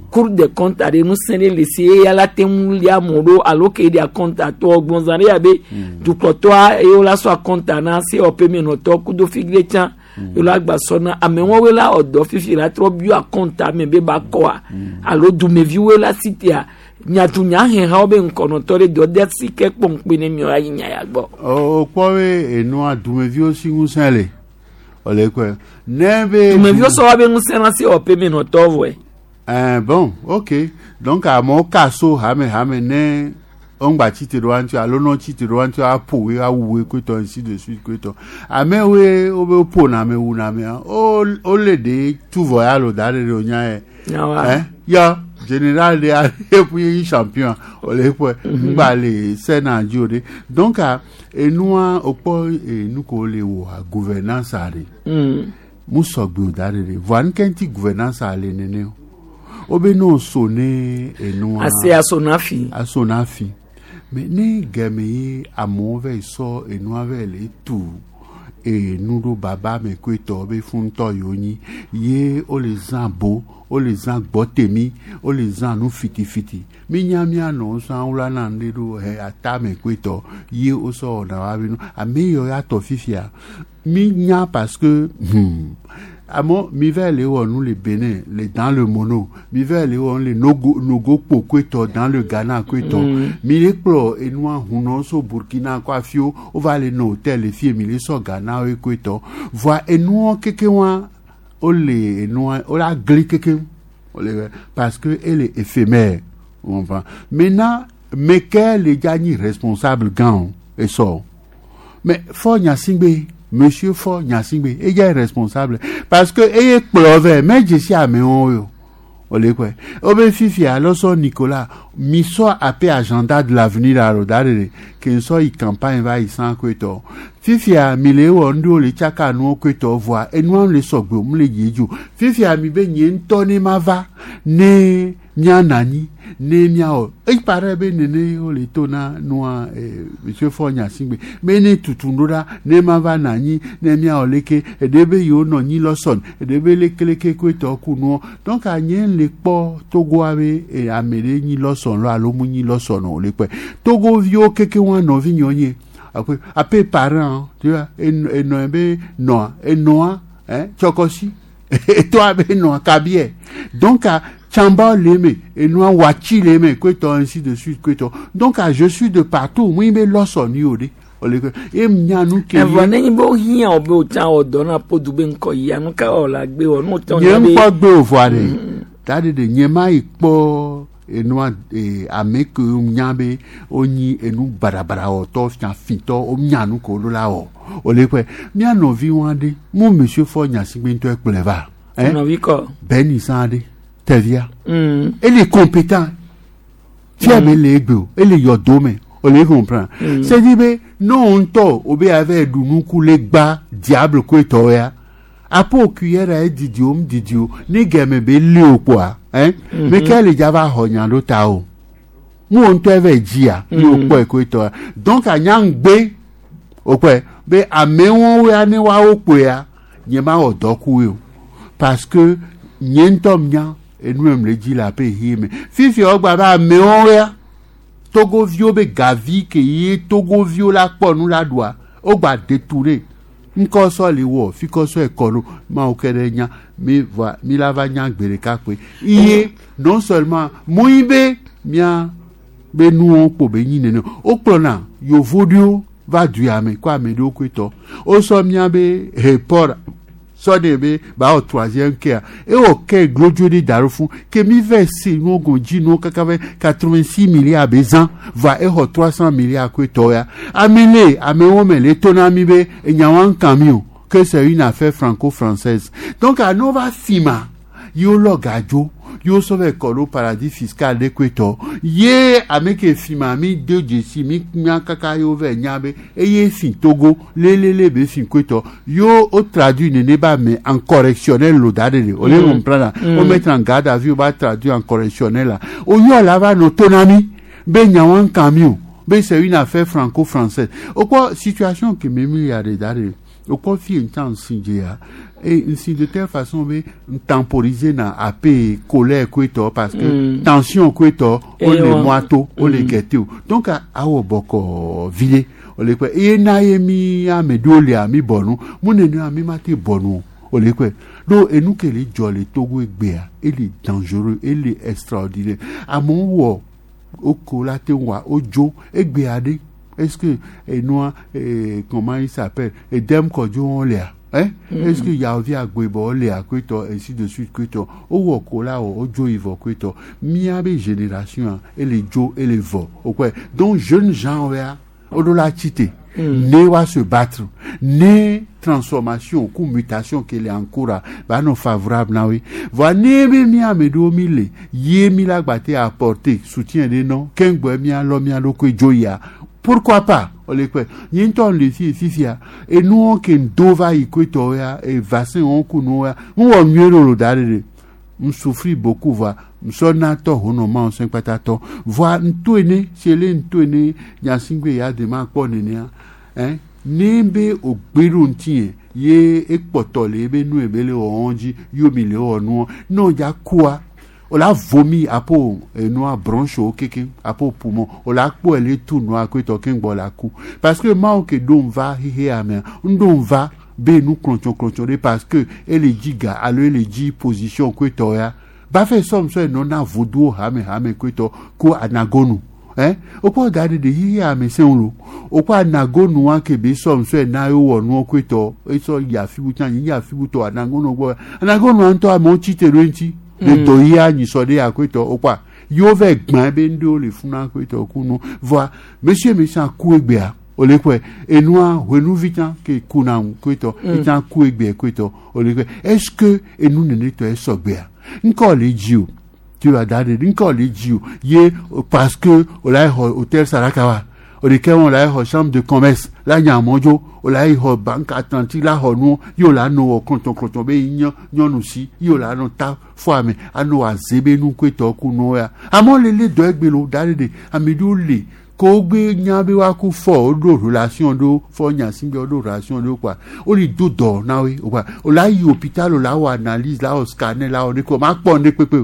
Cour des comptes aɖe ŋusẽ ɖe le si eya la te ŋu lia amewo ɖo alo ke ɖe akɔnta tɔ gbɔnzã ɖe ya be dukplɔtɔa eye wola sɔ akɔnta na COP menɔtɔ kudo figre tsã ye la gba sɔ na amewo la ɔdɔ fifi la trɔ bio akɔnta me be ba kɔa alo dumeviwoe la si tea nyatunya hehawo be ŋkɔnɔtɔ ɖe dɔ de si ke kpɔnkpe ne miɔ ayi nya ya gbɔ. O kpɔ be enua dumeviwo si ŋusẽ le ole kɔe ne be. Dumeviwo sɔ wa be ŋusẽ na COP menɔtɔ vɔe. Eh, bon, ok. Donc, amewo ka so hame hame ne ŋgba tsi te ɖo wa ŋuti alo nɔ tsi te ɖo wa ŋuti aƒo woe awu woe koetɔ ainsi de suite koetɔ. Amewoe wobe woƒo na ame wu na amea wo wole ɖe tu vɔ ya lo da ɖe ɖe wonya yɛ. Nyawa. Eh, ya général de eƒu ye champion ole ƒe ŋgba le sena dzi o ɖe. Donc enua wokpɔ enu ko le wɔa gouvernance ɖe. Mm. Mu sɔgbe o da ɖe ɖe. Voa nuke ŋuti gouvernance le nene o. Wobe ne wo ne enua. Ase aso na fi. Aso na fi. Mais ne gɛmɛ ye amewo va yi sɔ enua va yi le tu enu ɖo baba me koetɔ be funtɔ yiwo nyi ye wole zã bo wole zã gbɔtemi wole zã nu fitifiti mi nya mia nɔ sã wla na nu ɖe ɖo he ata me koetɔ ye wosɔ wɔna wa be nu ame yiwo ya tɔ fifia mi nya parce que hmm, amewo mi va le wɔ nu le Benin le dans le mono mi va le wɔ nu le Nogo Nogo kpo koetɔ dans le Ghana koetɔ Mm. mi le kplɔ enua hunɔ so Burkina kɔ afiwo wova le nɔ hôtel le fie mi le sɔ Ghana woe koetɔ voa enuɔ keke wa wole enua wole agli keke wole parce que ele éphémère on va maintenant meke le dza nyi responsable gã o esɔ mais Faure Gnassingbé monsieur Faure Gnassingbé eya est responsable parce que eye kplɔ vɛ mɛ dzesi amewo o ole kɔe wobe fifia lɔsɔ Nicolas mi sɔ ape agenda de l'avenir alo da ɖe ke nsɔ yi campagne va yi san koetɔ fifia mi le wɔ nuɖewo le tsaka nuwo koetɔ voa enua le sɔgbe o mu le yi edzi o fifia mi be nye ŋutɔ ne ma va ne mianɔ anyi ne miawɔ eyi paraît be nene wole to na nua eh, monsieur Faure Gnassingbé be ne tutu ɖo ɖa ne ma va nɔ anyi ne miawɔ leke eɖe be yewo nɔ anyi lɔsɔn eɖe be lekeleke koetɔ ku nuɔ donc anye le kpɔ Togoa be eh, ame ɖe nyi lɔsɔn lɔ alo mu nyi lɔsɔn o le kpɔe Togoviwo keke wa nɔvi nyɔ nye ape ape parent tu vois enɔ be nɔa enɔa hein tsɔkɔsi etoa be nɔa kabiɛ donc a Tsamba le me enua watsi le me koetɔ ainsi de suite koetɔ donc a je suis de partout mu be lɔsɔn yi o de ole ke e nya nu ke Evɔ ne nyi be wohiã wo be wotsã wɔ dɔ na podu be ŋkɔ yia nu ka wɔ la gbe wɔ nu wotsã nye ŋkpɔ gbe o voa ɖe ta ɖe ɖe nye ma yi kpɔ enua ee ame ke nya be wonyi enu barabara wɔtɔ fiafitɔ wonya nu ko ɖo la wɔ ole kpe mía nɔvi wa ɖe mu monsieur Faure Gnassingbé ŋutɔ kplɔe va hein? Nɔvi kɔ. Beni san ɖe tevia Mm. ele est compétent fia me le egbe o ele yɔ do me o le comprend Mm. c'est dire be no ŋutɔ o be ave ɖu nuku le gba diable koetɔ ya apo cuillère a didi o mu didi o ne gɛmɛ be li o kpoa hein Mhm. me ke le dza va xɔ nya ɖo ta o mu wo ŋutɔ eve dzia ne o Mm. kpɔe koetɔ ya donc anya ŋgbe o kpɔe Be amewo ya ne wawo kpoea nye ma wɔ dɔ ku o parce que nye ŋutɔ nya enu em le dzi le aƒe hie me fifia wogba be amewo ya togoviwo be gavi ke ye togoviwo la kpɔ nu la ɖua wogba détourné ŋkɔ sɔ le wɔ fi kɔ sɔ ekɔ ɖo mawo ke ɖe nya mi va mi la va nya gbe ɖeka koe iye non seulement moyi be mia be nuwo kpo be nyi nene wokplɔna yovo ɖewo va du ya me ko ame ɖewo koe tɔ wosɔ mia be heport sɔ de be ba wɔ troisième kea ewɔ ke glodzo ɖe da ɖo fún ke mi vɛ se nuwo gɔme dzi nuwo kaka vɛ quatre-vingt-six milliards be zã va exɔ trois cents milliards koe tɔ ya ame le amewo me le to na mi be enyawa ŋka mi o que c'est une affaire franco-française donc ano va fi ma ye wolɔ gadzo ye wosɔ vɛ kɔ ɖo paradis fiscal ɖe koe tɔ ye ame ke fi ma mi de dzesi mi nya kaka ye wovɛ nya be eye fi Togo lelele be fi koe tɔ yo o traduit nene ba me en correctionnel lo da de o le Mm. comprendre Mm. o mettre en garde à vue o ba traduit en correctionnel la o yɔ la va nɔ to na mi be nyawa ŋka mi o be c'est une affaire franco-française o kɔ situation ke me mi ya de da de o kɔ fi ŋutɔ ŋsi dze ya et nsi de telle façon be n temporiser na ape colère koe tɔ parce que Mm. tension koe tɔ o Eh le wa. mɔa to o le Mm. gɛte o donc a- awɔ bɔkɔ vile o le kpɛ eye na ye mi ame ɖewo lia mi bɔ nu mu nene mi ma te bɔ nu o o le kpɛ donc enu ke le dzɔ le Togo egbea ele dangereux ele extraordinaire amewo wɔ woko la te wa wodzo egbea ɖe est-ce que enua eh, comment il s'appelle Edem Kɔdzo wo lia hein Mm. est-ce que Yaovi Agbebɔ lia koetɔ ainsi de suite koetɔ wowɔ ko la wɔ wodzo yi vɔ koetɔ miabe génération a ele dzo ele vɔ o kɔe donc jeunes gens ya woɖo la tsi te Mm. ne wa se battre ne transformation ku mutation ke le en cours a ba nɔ favorable na woe voa ne be mía ame ɖewo mi le ye mi la gba te apporter soutien ɖe nɔ keŋgbɔ mía lɔ mía ɖokui dzo yia pourquoi pas o le kpɛ nye ŋutɔ le fi fifia enuwo ke ŋdo va yi koetɔwo ya e vaccin wo ku nuwo ya ŋu wɔ nyuie ɖo lo da ɖe ɖe n souffrir beaucoup voa nsɔ natɔ honɔ ma ŋusẽ kpata voa ŋto ene si ele ŋto ene nyasigbe ya de ma kpɔ nenea hein ne be o gbe ɖo ŋuti yɛ ye ekpɔtɔ le ebe nu ebe le wɔwɔ dzi yomi le wɔ nuɔ ne o dza kua o la vomi apo enua bronche wo keke apo poumon o la kpɔ ele tu nua koetɔ keŋgbɔ la ku parce que mawo ke ɖo ŋva xixea mea ŋɖo ŋva be nu klɔtsɔklɔtsɔ ɖe parce que ele dzi ga alo ele dzi position koetɔ ya bafɛ sɔmsɔ enɔ na voduwo hame hame koetɔ ko anagonu hein okpɔ da ɖe ɖe xixea me sẽŋu lo okpɔ anagonua ke be sɔmsɔ ena ye wɔ nuɔ koetɔ esɔ yi afi bu tsã yi afi bu tɔ anagonu gbɔ anagonua ŋutɔ amewo tsi te ɖo eŋuti le Mm. dɔ yia nyisɔ ɖe ya koetɔ okpɔa yewo vɛ gbã be ŋɖewo le funa koetɔ ku nu voa monsieur monsieur ku egbea o le kpɔe enua hoenuvi tsã ke ku na ŋu koetɔ Mm. etsã ku egbea koetɔ o le kpɔe est ce que enu nene tɔ esɔgbea ŋkɔ le dzi o tu vas da ɖe ŋkɔ le dzi o ye parce que o la yi xɔ hôtel Sarakawa o de ke wɔn la yi xɔ chambre de commerce la nya mɔdzo o la yi xɔ banque atlantique la xɔ nuwo ye o la nɔ wɔ klɔtsɔklɔtsɔ be yi nyɔ nyɔnu si ye o la nɔ ta fɔ ame anɔ aze be nu koetɔ ku nuwo ya amewo le le dɔ egbe lo da ɖe ɖe ame ɖewo le ko wogbe nya be woaku fɔ woɖo relation ɖo fɔ nyasigbe woɖo relation ɖo kɔa wole do dɔ na woe o kɔa o la yi hôpital o la wɔ analyse la wɔ scanner la wɔ ne ko ma kpɔ ne kpekpe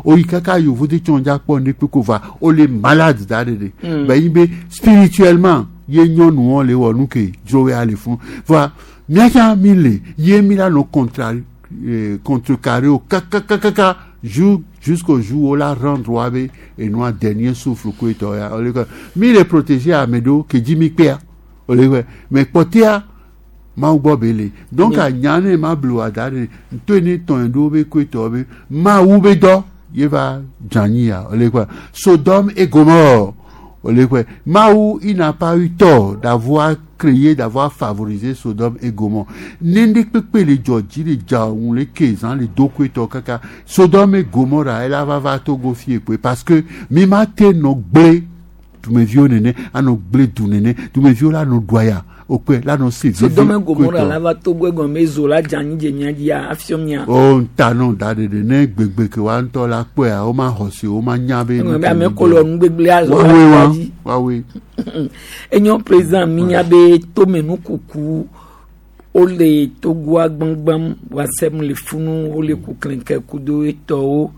o oyi kaka yovo de tsɔn dza kpɔ ne kpekpe o va o le malade da ɖe ɖe Mm. bɛ yi be spirituellement ye nyɔnuwo le wɔ nu ke dzro ya le fún voa miatsa mi le ye mi la nɔ contra eh, contrecarré o kakakakaka jour jusqu'au jour où la rendre wa be enua dernier souffle ko etɔ ya o le kɔ mi le protéger ame ɖewo ke dzi mi kpea o le kɔ mais kpɔtea mawu gbɔ be le donc Mm. anya ne ma blo ada ɖe ŋutɔ ne tɔn ɖewo be ko etɔ be mawu be dɔ ye va dze anyi ya o le kɔ Sodome et Gomorrhe o le kɔ mawu il n'a pas eu tort d'avoir créé d'avoir favorisé Sodome et Gomorrhe ne kpekpe le dzɔ dzi le dza ŋu le ke zã le do ko etɔ kaka Sodome et Gomorrhe ela va va Togo fie koe parce que mi ma te nɔ gblẽ dumeviwo nene anɔ gblẽ du nene dumeviwo la nɔ ɖua ya okpe la nɔ se vivi Sodome Gomora la va Togo egɔme zo la dze anyi dze mia dzia afiɔ mia. O ŋuta nɔ da ɖeɖe ne gbegbe ke wa ŋutɔ la kpɔea wo ma xɔ se wo ma nya be. Egɔme be ame ko le nugbegble azɔ Woawoe wa woawoe. Enyo président mi nya be tomenukuku wole Togoa gbãgbãm wasem le funu wole kuklẽke kudo etɔwo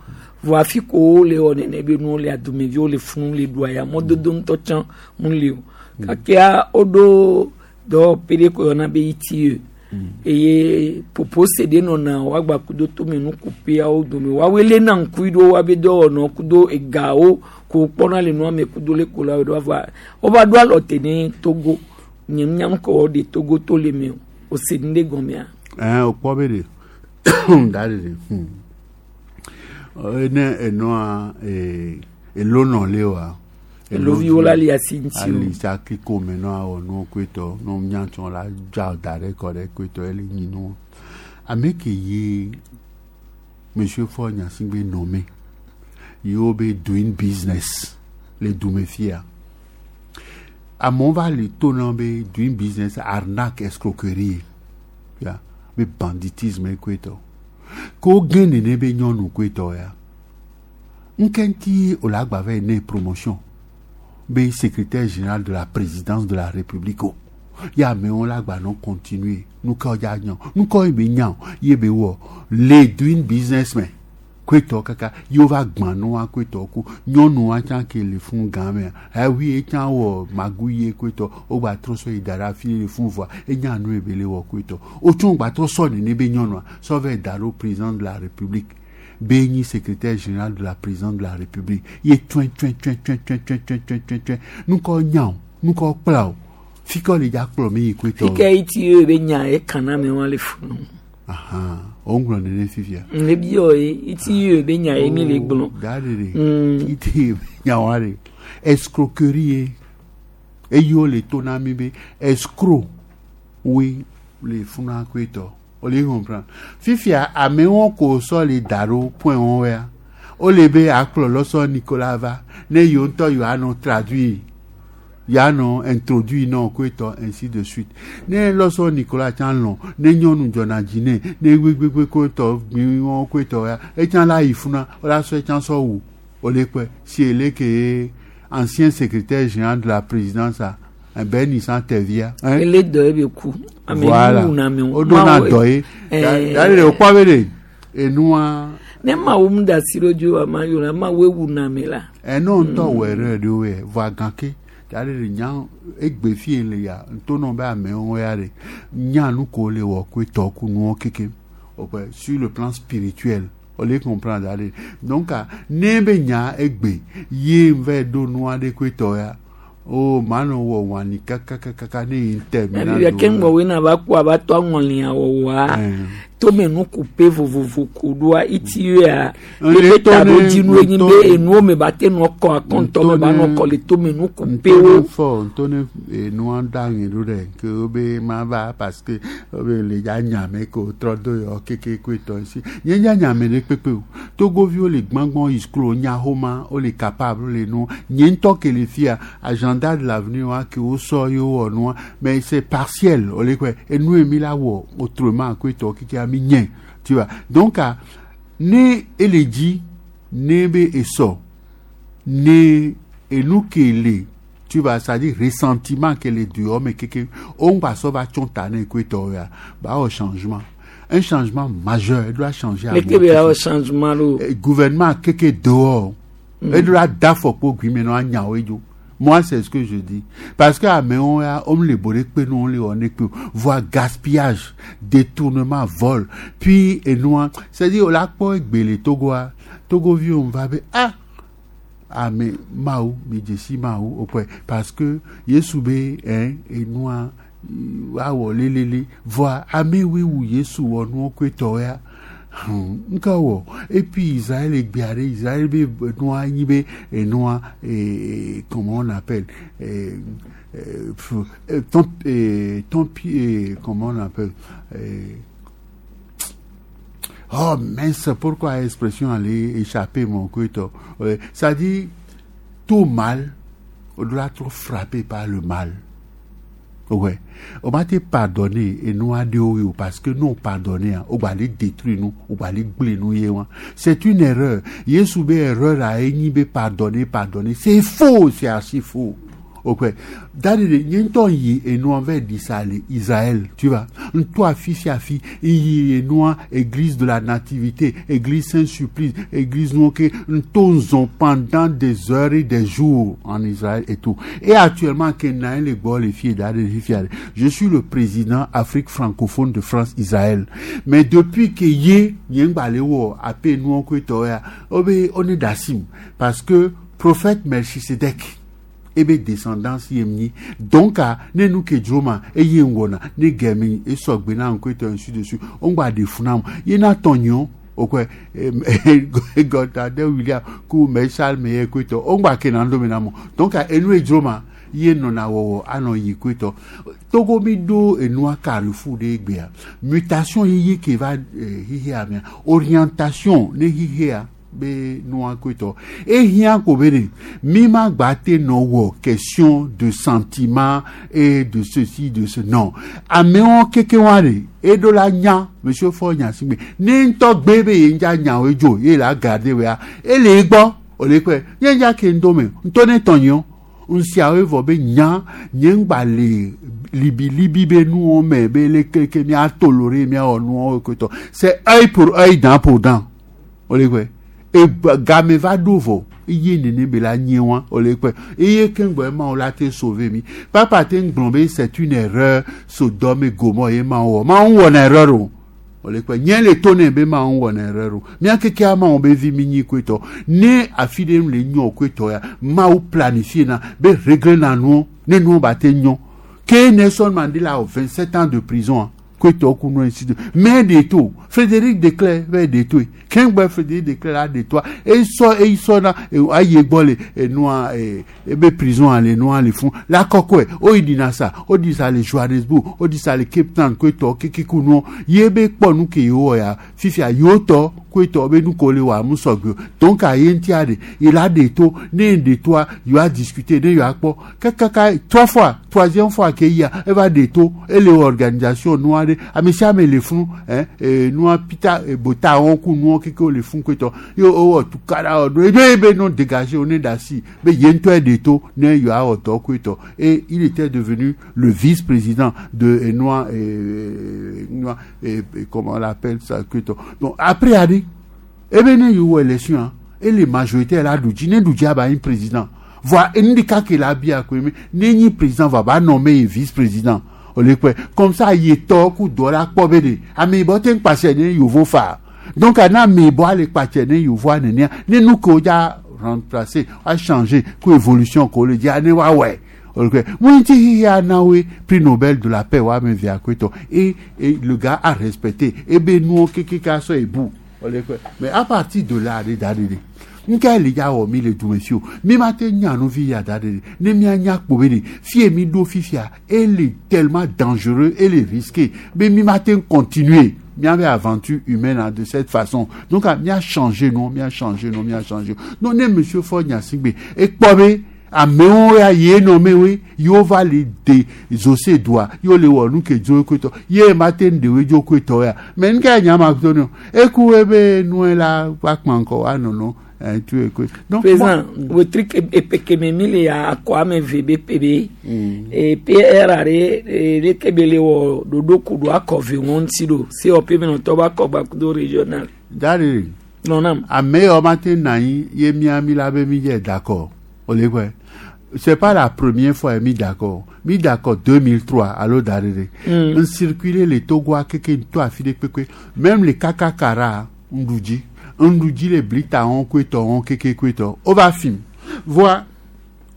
vɔ afi ko wole wɔ nene be nuwo le adumeviwo le funu le ɖua ya mɔdodo ŋutɔ tsã mu le o gakea woɖo dɔwɔƒe ɖe ko yɔna be ITIE eye popose ɖe nɔna woagba kudo tomenukuƒeawo dome woawoe léna ŋku ɖo woabe dɔwɔnɔ kudo egawo ko kpɔna le nua me kudo le ko la ɖo vɔa wova ɖo alɔ te ne Togo nye nya ŋkɔ wɔ ɖe Togo to le me o ose nu ɖe gɔmea. Ɛn o kpɔ be de da de de hmm. Ne enɔa ee elonɔ le wa. Eloviwo la li asi ŋuti o. Ali sa kiko me nɔ awɔ nuwo koetɔ no nyatsɔ la dza da ɖe kɔ ɖe koetɔ ele nyi nuwo. Ame ke ye Monsieur Faure Gnassingbé nommé yewo be doing business le dume fia. Amewo va le to na be doing business arnaque escroquerie ya be banditisme koetɔ. Ko gẽ nene be nyɔnu koetɔ ya. Ŋke ŋuti wòle agba va yi ne promotion be secrétaire général de la présidence de la république o. Ya amewo la gba nɔ continuer nu ka wodza nya nu ka ye be nya o ye be wɔ le doing business me koetɔ kaka ye wova gbã nua koetɔ ku nyɔnua tsã ke le fún gã mea ewi ye tsã wɔ magu ye koetɔ wogba trɔ sɔ yi da ɖe afi le fún vɔa enya nu ye be le wɔ koetɔ wotsɔ gba trɔ sɔ nene be nyɔnua sɔ va da ɖo président de la république be nyi secrétaire général de la présidence de la république ye tsɔe tsɔe tsɔe tsɔe tsɔe tsɔe tsɔe tsɔe tsɔe tsɔe nu ka nya o nu ka kpla o fi ka le dza kplɔ mi yi koetɔ. Fi ke ITIE be nya ye kana me wa le funu. Ahan o ŋlɔ nene fifia. Le bi yɔ ye ITIE be nya ye mi le gblɔ. Da de de ITIE be nya wa de escroquerie ye eye wo le to na mi be escroc woe le funa koetɔ o le comprendre fifia amewo ko sɔ le da ɖo point wɔn ya o le be akplɔ lɔsɔ Nicolas va ne yewo ŋutɔ yewoa nɔ traduire yeanɔ introduire nɔ koetɔ ainsi de suite ne lɔsɔ Nicolas tsã lɔn ne nyɔnu dzɔna dzi nɛ ne gbégbégbé koetɔ gbiwɔn koetɔ ya etsã la yi funa o la sɔ etsã sɔ wu o le kpɛ si ele ke ancien secrétaire général de la présidence a ben Nissan Tevia. Ele dɔ ye be ku. Ame Voilà. wu na me O do na dɔ ye. Dari de o kpɔ be de enua. Ne ma wo mu da si ɖo dzo ama yɔ la ma wo ewu na me la. Ɛnɔ ŋutɔ wɔ erreur ɖewo yɛ vɔa gãke dari de nya egbe fie le ya ŋutɔ be amewo ya de nya nu ko le wɔ koe tɔ ku nuwo keke o kpe sur le plan spirituel o le comprendre dari donc ne be nya egbe ye va ɖo nua ɖe koe tɔ ya o ma nɔ wɔ wani kakakaka ne yi terminal. Ɛbi ke ŋgɔ wo na va kó a va tɔ aŋɔlia wɔwɔa tomenukuƒe vovovo ko ɖoa ITIE ebe taɖodzinu enyi be enuwo me ba te nɔ kɔ akɔntɔ me ba nɔ kɔ le tomenukuƒewo. Fɔ ntɔ ne enua da ŋe ɖo ɖe ke wo be ma va parce que wo be le dza nyame ko trɔ do yɔ keke koe tɔ si nye dza nyame ɖe kpekpe o togoviwo le gbãgbɔn yi skul nya xoma wo le capable wo le nu nye ŋutɔ ke le fia agenda de l'avenir wa ke wo sɔ ye wɔ nua mais c'est partiel wo le kɔe enu ye mi la wɔ autrement koe tɔ keke ami nye tu vois donc ne ele dzi ne be esɔ ne enu ke le tu vois c'est à dire ressentiment ke le dehors me keke o ŋgba sɔ va tsɔn ta ne koe tɔ ya ba wɔ changement un changement majeur il doit changer. Leke be la wɔ changement lo. Gouvernement keke dehors mm. il doit da fɔ kpo gui me no anya wo dzo. Moi, c'est ce que je dis. Parce que amewo ya, on le bolé kpe nous on le on est voit gaspillage, détournement, vol. Puis et nous, c'est-à-dire on la kpɔ egbele Togo a, Togo vi on va be ah ah mais Mawu, mi dzesi Mawu au parce que Yesu be hein et nous awɔ lelele voa ame woe wu Yesu wɔ nuwo koe tɔ ya. Nka wɔ et puis Israël egbea ɖe Israël be nua nyi be enua eh, comment on appelle eh, eh, ton eh, ton eh, comment on appelle eh, oh mince pourquoi l'expression allait échapper mon koetɔ ça dit tout mal On doit trop frappé par le mal. Ouais. On va te pardonner et nous adorer parce que nous pardonner, on va aller détruire nous, on va aller gblé nous. C'est une erreur. Yesu be erreur à be pardonner, pardonner. C'est faux, c'est archi faux. Ok. D'ailleurs, n'y yi et nous envers d'Israël, Israël, tu vois. Toi, fils et fille, yi et nous, église de la nativité, église Saint-Supplice, église nous, ok, nous pendant des heures et des jours en Israël et tout. Et actuellement, les les filles, je suis le président Afrique francophone de France, Israël. Mais depuis que yé, on est d'Assim. Parce que prophète Melchisedec, ebe descendance yemni donc a ne nu ke droma e ye ngona ne gemi e sogbe na nko ainsi dessus on gba de funam ye na tonyo okwe God de William ku me Charles me ko on gba ke na ndo me na mo donc a enu e droma ye no na wo ano yi ko to Togo mi do enu a carrefour de gbea mutation ye ye ke va hihi amia orientation ne hihi a be noa kweto e hian ko bere mi ma gba no wo question de sentiment et de ceci de ce non amewo keke ware e do la nya monsieur Faure Gnassingbé ni nto gbe be ye nja nya we jo ye la garder we a e le gbo o le pe ye nja ke ndome nto ne tonyo nsi awe vo be nya nye ngba le libi libi be nu o me be le keke mi a toloré mi a onu o kweto c'est œil pour œil dent pour dent o le pe e game va dovo iye nene be la nyewa ole pe iye kengbe ma o la te sauver mi papa te ngbon c'est une erreur Sodome et Gomorrhe e ma o ma on won erreur o ole pe nyen le tone be ma on won erreur o mi akeke ama on be vi mi nyi kweto ne afide le nyo kweto ya ma o planifier na be régler na nou ne nou ba te nyon ke Nelson Mandela a vingt-sept ans de prison mais de tout Frédéric de Klerk vers de tout Kengbe Frédéric de Klerk là de toi et ils sont et ils sont là et aïe bol et noir et et be prison les noirs les font la kokwe o il dit ça o dit ça les Johannesburg o dit ça les Cape Town kweto kiki kuno yebe ponu ke yo ya fifia yoto kweto be nu kole wa musogbe donc aye ntiade il a de tout né de toi il a discuté né il a po kaka trois fois troisième fois qu'il y a elle va de tout et les organisations noires amisia me le fun hein et noir pita et bota on ku noir keke le fun kweto yo o tout kara o be be non dégagé on est d'assis mais yento de tout né yo a oto kweto et il était devenu le vice-président de noir et noir et comment on l'appelle ça kweto donc après allez et ben yo élection et les majorités là du né du ba un président voit indika que la bia ko mais ni président va ba nommer vice-président comme ça il est tort ou dollar pobede ami boten passé ne yovo fa donc ana mi bo ale pache ne yovo ne ne nous ko ja remplacer a changer ko évolution ko le dia ne wa ouais OK moi ti ya na we prix Nobel de la paix wa me via kweto et et le gars a respecté et ben nous keke ka so ebu mais à partir de là de de nka le ya o mi le du monsieur mi ma te nya no vi ya da de ne mi anya po be fie mi do fifia elle est tellement dangereux elle est risquée mais mi ma te continuer mi avait aventure humaine de cette façon donc mi a changé non mi a changé non mi a changé non ne monsieur Faure Gnassingbé et po amewo ya ye no mewe yo va le de zose doa yo le wo nu ke jo kweto ye ma te ndewe jo kweto ya mais nka nya ma to no e ku ebe nu la pa kpanko anono tu es donc président le truc epekememi ya akwame V B P B et P R R le kebele wo dodo kudo akove won ti do C O P me to ba ko ba kudo régional dari non non ame o matin nayi ye mi ami la be mi je d'accord c'est pas la première fois mis d'accord mis d'accord deux mille trois alors d'arrêter on circulait les Togo keke to afide peke même les kakakara ndouji ndouji les blita on kweto on keke kweto on va film voir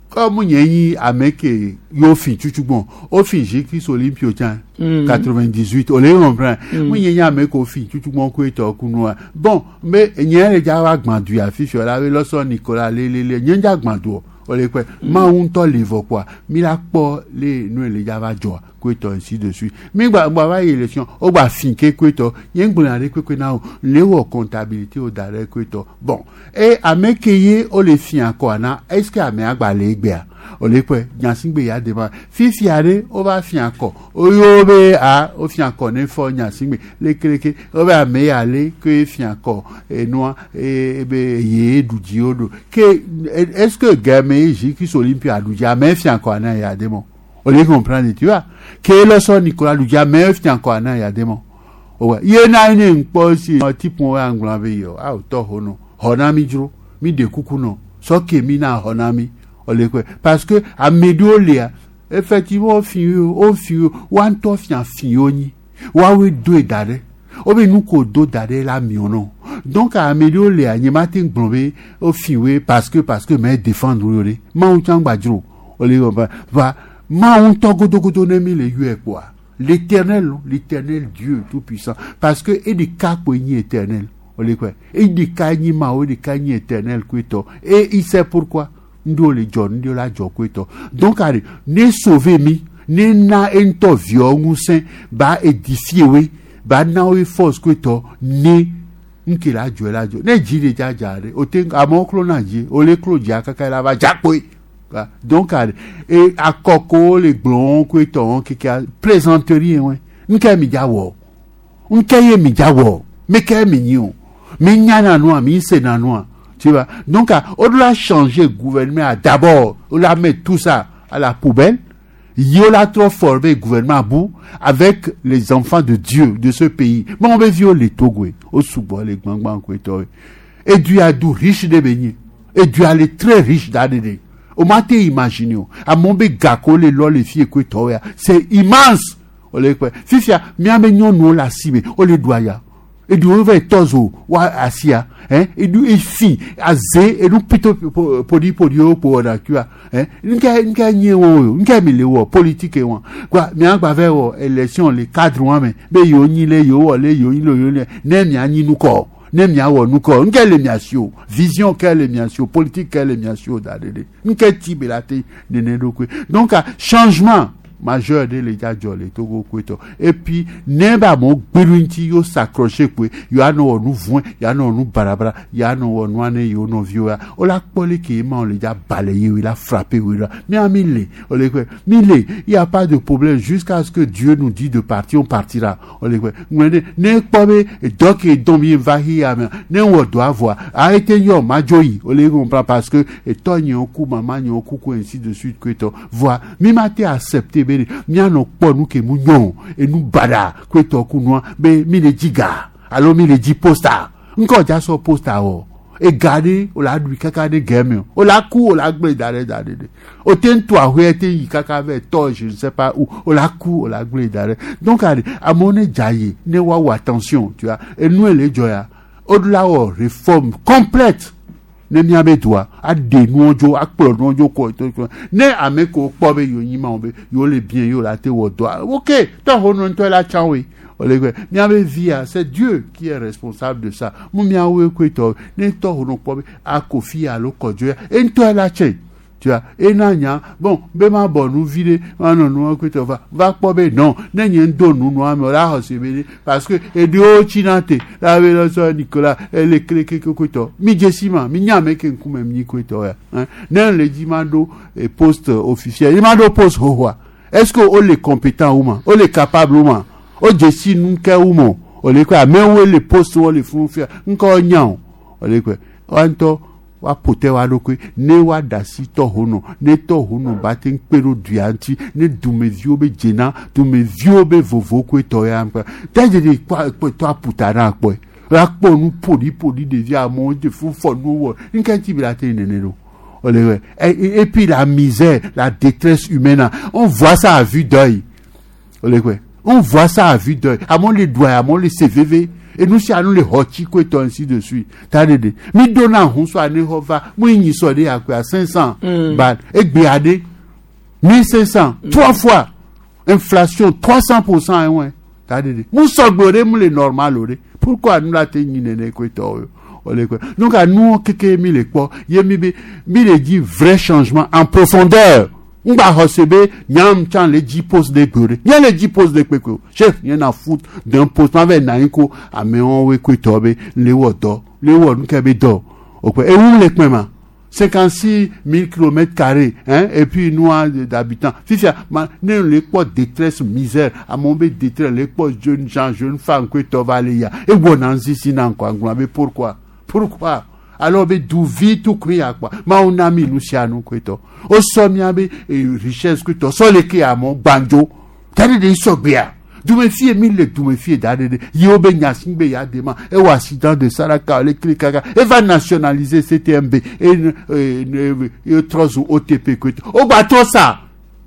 comme nyenyi ameke yo fin chuchugbon o fin Jeux Olympio tiens quatre-vingt-dix-huit on les comprend mo nyenyi ameke o fin chuchugbon kweto kunua bon mais nyen le ja wa gbandu afifi la we loso Nicolas le le le nyen ja gbandu o le pe ma un to le vo quoi mi la po le nu le ja va jo koetɔ ainsi de suite mi gba gba va yi élection o gba fin ke koetɔ ye ŋgblɔ na ɖe koekoe na o le wɔ comptabilité o da ɖe koetɔ bon e ame ke ye o le fi akɔ na est ce que amea gba le egbea o le kpɔe nyasigbe ya de ma fifia ɖe o va fi akɔ o yɔ be a o fi akɔ ne fɔ nyasigbe lekeleke o be ame ya le ke fi akɔ enua e be ye ɖu dzi o ɖo ke est ce que game ye zi ki olympia ɖu dzi ame fi akɔ ana ya de mɔ o le comprendre tu vois ke le sɔ Nicolas ɖu dzi ame fi akɔ ana ya de mɔ o wa ye na ne ŋkpɔ si tipu wo aŋlɔ be yɔ awo tɔ ho nɔ xɔ na mi dzro mi de kuku nɔ sɔke mi na xɔ na mi o le kpɛ parce que ame ɖewo lia effectivement wo fi wo fi wa ŋutɔ fia fi wo nyi woawoe doe da ɖe wobe nu ko do da ɖe la miɔ nɔ donc ame ɖewo lia nye ma te gblɔ be wo fi woe parce que parce que mɛ défendre wo ɖe mawu tsã gba dzro o le va va mawu ŋutɔ godogodo ne mi le yɔe kpoa l'éternel l'éternel Dieu tout puissant parce que eɖeka koe nyi éternel o le kpɛ eɖeka nyi mawu eɖeka nyi éternel koe tɔ et il sait pourquoi ŋɖewo le dzɔ ŋɖewo la dzɔ koe tɔ donc ari ne sauver mi ne na eŋutɔ viɔ ŋusẽ ba édifier woe ba na woe force koe tɔ ne ŋke la dzɔ la dzɔ ne dzi le dzadza ɖe o te amewo klo na dzi o le klo dzia kaka la va dza kpoe donc ari e akɔko le gblɔ koe tɔ keke plaisanterie wɔe ŋke mi dza wɔ ŋke ye mi dza wɔ meke mi nyi o mi nya na nua mi se na nua. Tu vois. Donc, on doit changer le gouvernement. D'abord, on doit mettre tout ça à la poubelle. Il a trop formé le gouvernement à bout avec les enfants de Dieu de ce pays. Mais on veut violer les Togo, au Soubo, les Gbangban, et Dieu a d'où riche de béni. Et Dieu a les très riche d'Adédé. On m'a imaginé. À mon gako, les lois, les filles, c'est immense. Fifia, mi nous la cime, on les doit. Edu wo va tɔzo wa asia hein edu efi aze edu pito podi podi wo po na kua hein nka nka nye wo yo nka mi le wo politique wa quoi mi agba ve wo élection le cadre wa me be yo nyi le yo wo le yo nyi le yo le ne mi anyi nu ko ne mi awo nu ko nka le mi asio vision ka le mi asio politique ka le mi asio da de de nka ti be la te nene do kwe donc changement majeur de l'état jɔle Togo koetɔ et puis ne ba mo gbedu ŋuti yo s'accrocher koe yo anɔ wɔ nu vɔe yo anɔ wɔ nu barabara yo anɔ wɔ nua ne yewo nɔviwo ya o la kpɔ le ke ma o le dza ba le yewo la frapper wo la mia mi le o le kpe mi le il y a pas de problème jusqu'à ce que Dieu nous dit de partir on partira o le kpe ŋlɔ ne ne kpɔ be dɔ ke dɔn mi va hi ya mea ne wɔ dɔ avɔa a ete yɔ ma dzo yi o le comprend parce que etɔ nyewo ku mama nyewo ku ko ainsi de suite koetɔ voa mi ma te accepter be mianɔ kpɔ nu ke mu nyɔ enu baɖa koetɔ ku nua be mi le dzi ga alo mi le dzi posta ŋkɔ dza sɔ posta wɔ ega ɖe o la ɖui kaka ɖe gɛmɛ o o la ku o la gblẽ da ɖe da ɖe ɖe o te ŋu to ahoe te yi kaka vɛ tɔ je ne sais pas où o la ku o la gblẽ da ɖe donc ari amewo ne dza yi ne woawɔ attention tu vois enu le dzɔ ya o la wɔ réforme complète ne miabe doa aɖe nuwo dzo akplɔ nuwo dzo kɔ to to ne ame ko kpɔ be yewo nyi ma wo be yewo le bien yewo la te wɔ dɔa ok tɔxɔ nu ŋutɔ la tsã woe ole kpe miabe via c'est Dieu qui est responsable de ça mu miawoe koe tɔ ne tɔxɔ nu kpɔ be akofi alo kɔdzo ya eŋutɔ la tsɛ tu vois ena nya bon be ma bɔ nu vi ɖe ma nɔ nua koe tɔ va va kpɔ be non ne nye ŋdo nu nua me o la xɔ se be ɖe parce que eɖewo tsina te la be lɔ sɔ Nicolas ele keleke koe tɔ mi dze si ma mi nya ame ke ŋkume mi koe tɔ ya hein ne le dzi ma ɖo poste officiel ma ɖo poste xoxoa est-ce que o le compétent ou ma o le capable ou ma o dze si nu ke ou ma o le koe amewo le poste wo le fún fia ŋkɔ nya o o le koe wa ŋutɔ woaƒo te wa ɖokui ne woaɖe asi tɔxɔnɔ ne tɔxɔnɔ ba te kpe ɖo dua ŋuti ne dumeviwo be dzena dumeviwo be vovo koe tɔ ya ŋkpe tɛdzedze kpɔ tɔ aƒuta na kpɔe la kpɔ nu ƒoɖiƒoɖi ɖevi amewo de fu fɔ nuwo wɔ nke ŋuti bi la te nene ɖo o le wɛ et puis la misère la détresse humaine on voit ça à vue d'œil o le wɛ on voit ça à vue d'œil amewo le doa amewo le se veve enu sia nu le xɔ tsi koe tɔ ainsi de suite ta de de mi do na hun so ane xɔ va mu nyi sɔ de akpe a cinq cent ba egbe aɖe mille cinq cent trois fois inflation trois cent pour cent ɛwɔn ta de de mu sɔgbe o de mu le normal o de pourquoi nu la te nyi nene koe tɔ o o le koe donc nuwo keke mi le kpɔ ye mi be mi le di vrai changement en profondeur. Ngba xɔse be nyam tsã le dzi poste de gbe ɖe nye le dzi poste de kpekpe o chef nye na foot d'un poste ma va na anyi ko amewo woe koe tɔ be le wɔ dɔ le wɔ nu ke be dɔ o kpe ewu le kpɛ ma cinquante-six mille kilomètres carrés hein et puis nous d'habitants fifia ma ne le kpɔ détresse misère amewo be détresse le kpɔ jeune gens jeune femme koe tɔ va le ya ewɔ na ŋsisi na ŋkɔ agblɔ be pourquoi pourquoi alors be duvi tu kui ya kpa mawu na mi nu sia nu koe tɔ o sɔ mia be richesse koe tɔ sɔ le ke amɔ gbandzo da ɖe ɖe sɔgbea dumefie mi le dumefie da ɖe ɖe yewo be nyasi be ya de ma ewɔ accident de saraka le kili kaka eva nationaliser C T M B e e trɔ zu O T P koe tɔ o gba trɔ sa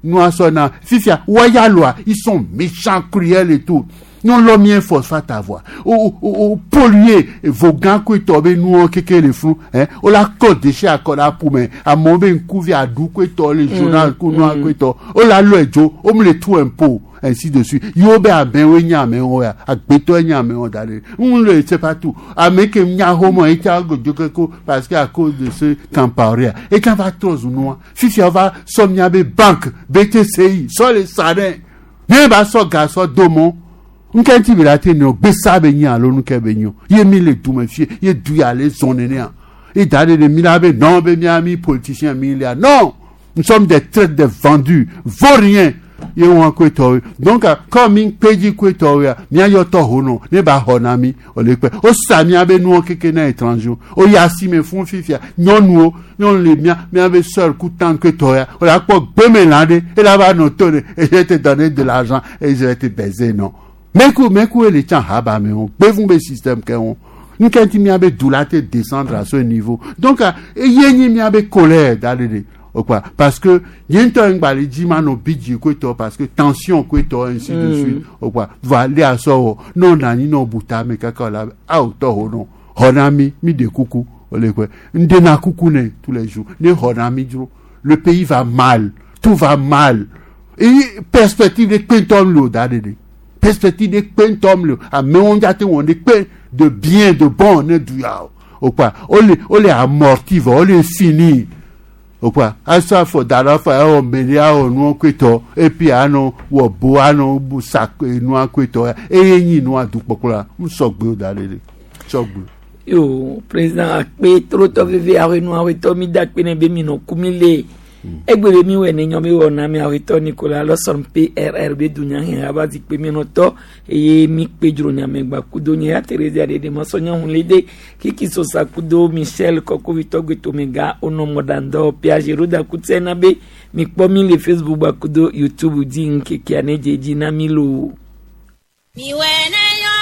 nua sɔ na fifia wayaloa, ils sont méchants, cruels et tout. Non lɔ mien phosphate avoir o o o polluer vogan koe tɔ be nuwo keke le funu hein o la kɔ déchet akɔ la ƒome amewo be ŋkuvi aɖu koe tɔ le journal ko nua koe tɔ o la lɔ edzo o mu le tout impôt ainsi de suite yewo be amewo nye amewo ya agbetɔ nye amewo da ɖe n le c'est pas tout ame ke nya xɔmɔ etsa godo keko parce que à cause de ce camparia et quand va trɔ zu nua fifia va sɔ mia be banque B T C I sɔ le sa ɖe ne ba sɔ ga sɔ do mɔ nke ŋuti bi la te nɔ gbesa be nyi alo nuke be nyi o ye mi le dume fie ye du ya le zɔn nenea ye da ɖe ɖe mi la be non be mia mi politicien mi lia non, nous sommes des traîtres, des vendus, vauriens ye wọn koe tɔwo. Donc kɔ mi kpedzi koe tɔwo ya mia yɔ tɔ ho nɔ ne ba xɔ na mi o le kpɛ o sa mia be nuwo keke na étranger o ya si me fún fifia nyɔnuwo nyɔnu le mia mia be sœur ku tante koe tɔ ya o la kpɔ gbeme ɖe e la va nɔ to de et je vais te donner de l'argent et je vais te baiser. Non, meku meku ele tsã haba me wo gbevu be système ke wo nke ŋuti mia be du la te descendre à ce niveau. Donc eye nyi mia be colère da ɖe ɖe o quoi parce que nye ŋutɔ ŋgba le dzi ma nɔ bidzi koe tɔ parce que tension koe tɔ ainsi de Mm. suite o quoi va le asɔ wɔ n'o na anyi n'o bu ta me kaka o la awo tɔ ho nɔ xɔ na mi mi de kuku o le kɔe n dena kuku ne tous les jours ne xɔ na mi dzro. Le pays va mal, tout va mal et perspective de kpentɔm le o da ɖe ɖe perspective de kpentɔm le o amewo dza te wɔn de kpe de bien de bon ne du ya o o quoi o le o le amorti vɔ o le fini o quoi asɔ afɔ da ɖe afɔ ewɔ meli awɔ nua koetɔ et puis anɔ wɔ bo anɔ bu sa nua koetɔ eye nyi nua dukpɔkplɔ n sɔgbe o da ɖe ɖe sɔgbe. Yo président akpe trotɔ veve awenu awetɔ mi da akpe ne be mi nɔ ku mi le egbe be mi wɔ ne nyɔ mi wɔ na mi awetɔ Nicolas Lawson P R R be dunya hɛn aba zikpe mi nɔtɔ eye mi kpe dzro nyame gba kudo nye ya Thérésia ɖeɖe mɔsɔ nyɔnu le de kiki sosa kudo Michel Kɔkovitɔ gbetomega onɔ mɔdandɔ Piage Roda kutse na be mi kpɔ mi le Facebook gba kudo YouTube dzi ŋkekea ne dze dzi na mi lo. Mi wɛ ne nyɔ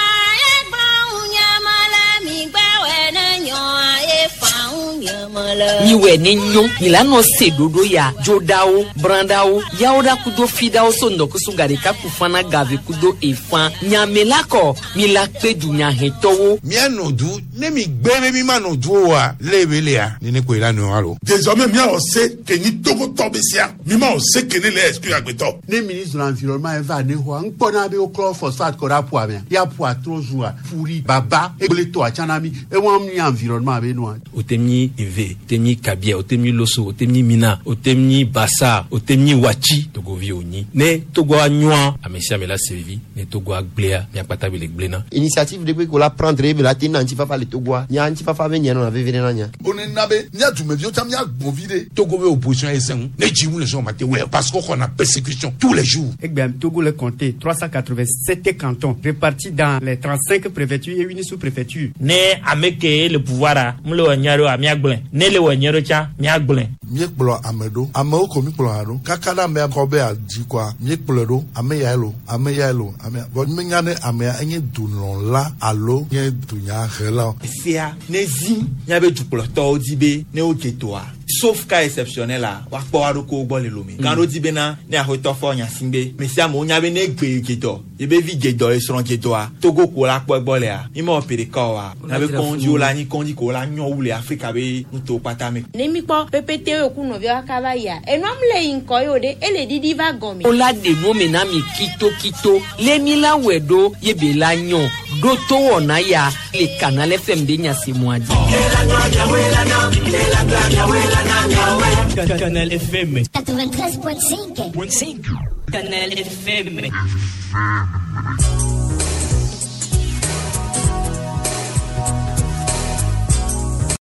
ye gbɔn nyama le mi gbɛ wɛ ne nyɔ ye fan nyama le. Miwɛ ne nyɔ milanɔ se ɖoɖo ya dzoɖawo brãɖawo yawoɖa kudo fiɖawo so ŋdɔkusu gaɖeka kufana gave kudo efã nyamela kɔ mila kpe dunyahɛtɔwo. Mianɔ du ne mi gbɛ be mi ma nɔ du o wa le be lea nene koe la nɔ alo. Désormais miawɔ se ke nyi togotɔ be sia mi ma wɔ se ke ne le exclure agbetɔ. Ne ministre de l'environnement eva ne xɔa ŋkpɔna be woklɔ phosphate kɔ ɖe aƒua mea ya ƒua trɔ zua furi baba egble tɔ atsana mi ewɔm ni environnement be nua. Otemi eve otemi kabia otemi loso otemi mina otemi basa otemi watsi togovi onyi ne togoa nyɔa ame sia ame la se vivi ne togoa gblẽa miakpata be le gblẽna. Initiative de ko la prendre be la te na ŋutifafa le Togoa nya ŋutifafa be nye nɔna veve ɖe na nya. Onena be mía dumeviwo tsã míagbɔn vi ɖe. Togo be opposition ye sɛŋ ne dzi ŋu le sɔn ma te wɛ parce que xɔna persécution tous les jours. Egbea Togo le compté trois cent quatre-vingt-sept cantons répartis dans les trente-cinq préfectures et une sous-préfecture. Ne ame ke le pouvoir a mu le wɔ nyɔ ɖo a miagblẽ ne le wɔ nyɔ ɖo tsã miagblẽ. Míekplɔ ame ɖo amewo ko míkplɔ hã ɖo kaka ɖe amea kɔ be adzi kɔa míekplɔe ɖo ame yae lo ame yae lo ame ya vɔ míenya ne amea enye dulɔla alo nye dunyahela o. Sia ne zi míabe dukplɔtɔwo di be ne wodze toa sauf cas exceptionnel la woakpɔ wa ɖokuiwo gbɔ le lome mm. Gã ɖo di bena ne axɔtɔ fɔ nya si be me sia amewo nya be ne gbe dze dɔ yebe vi dze dɔ esrɔ̃ dze dɔa Togo ko la kpɔ egbɔ lea mi ma wɔ pe ɖeka oa míabe kɔndziwo la nyi kɔndzi ko la nyɔ wu le Afrika be nutowo kpata me. Ne mi kpɔ pépé yo ku nɔviawo kaka va yia enua mu le yi ŋkɔ yi o ɖe ele ɖiɖi va gɔme. Wola ɖe nu me na mi kitokito le mi la wɔe ɖo ye be la nyɔ ɖo to wɔna ya le Canal F M de nyasemua dzi. Ela Canal F M. quatre-vingt-treize point cinq. cinq. Canal F M.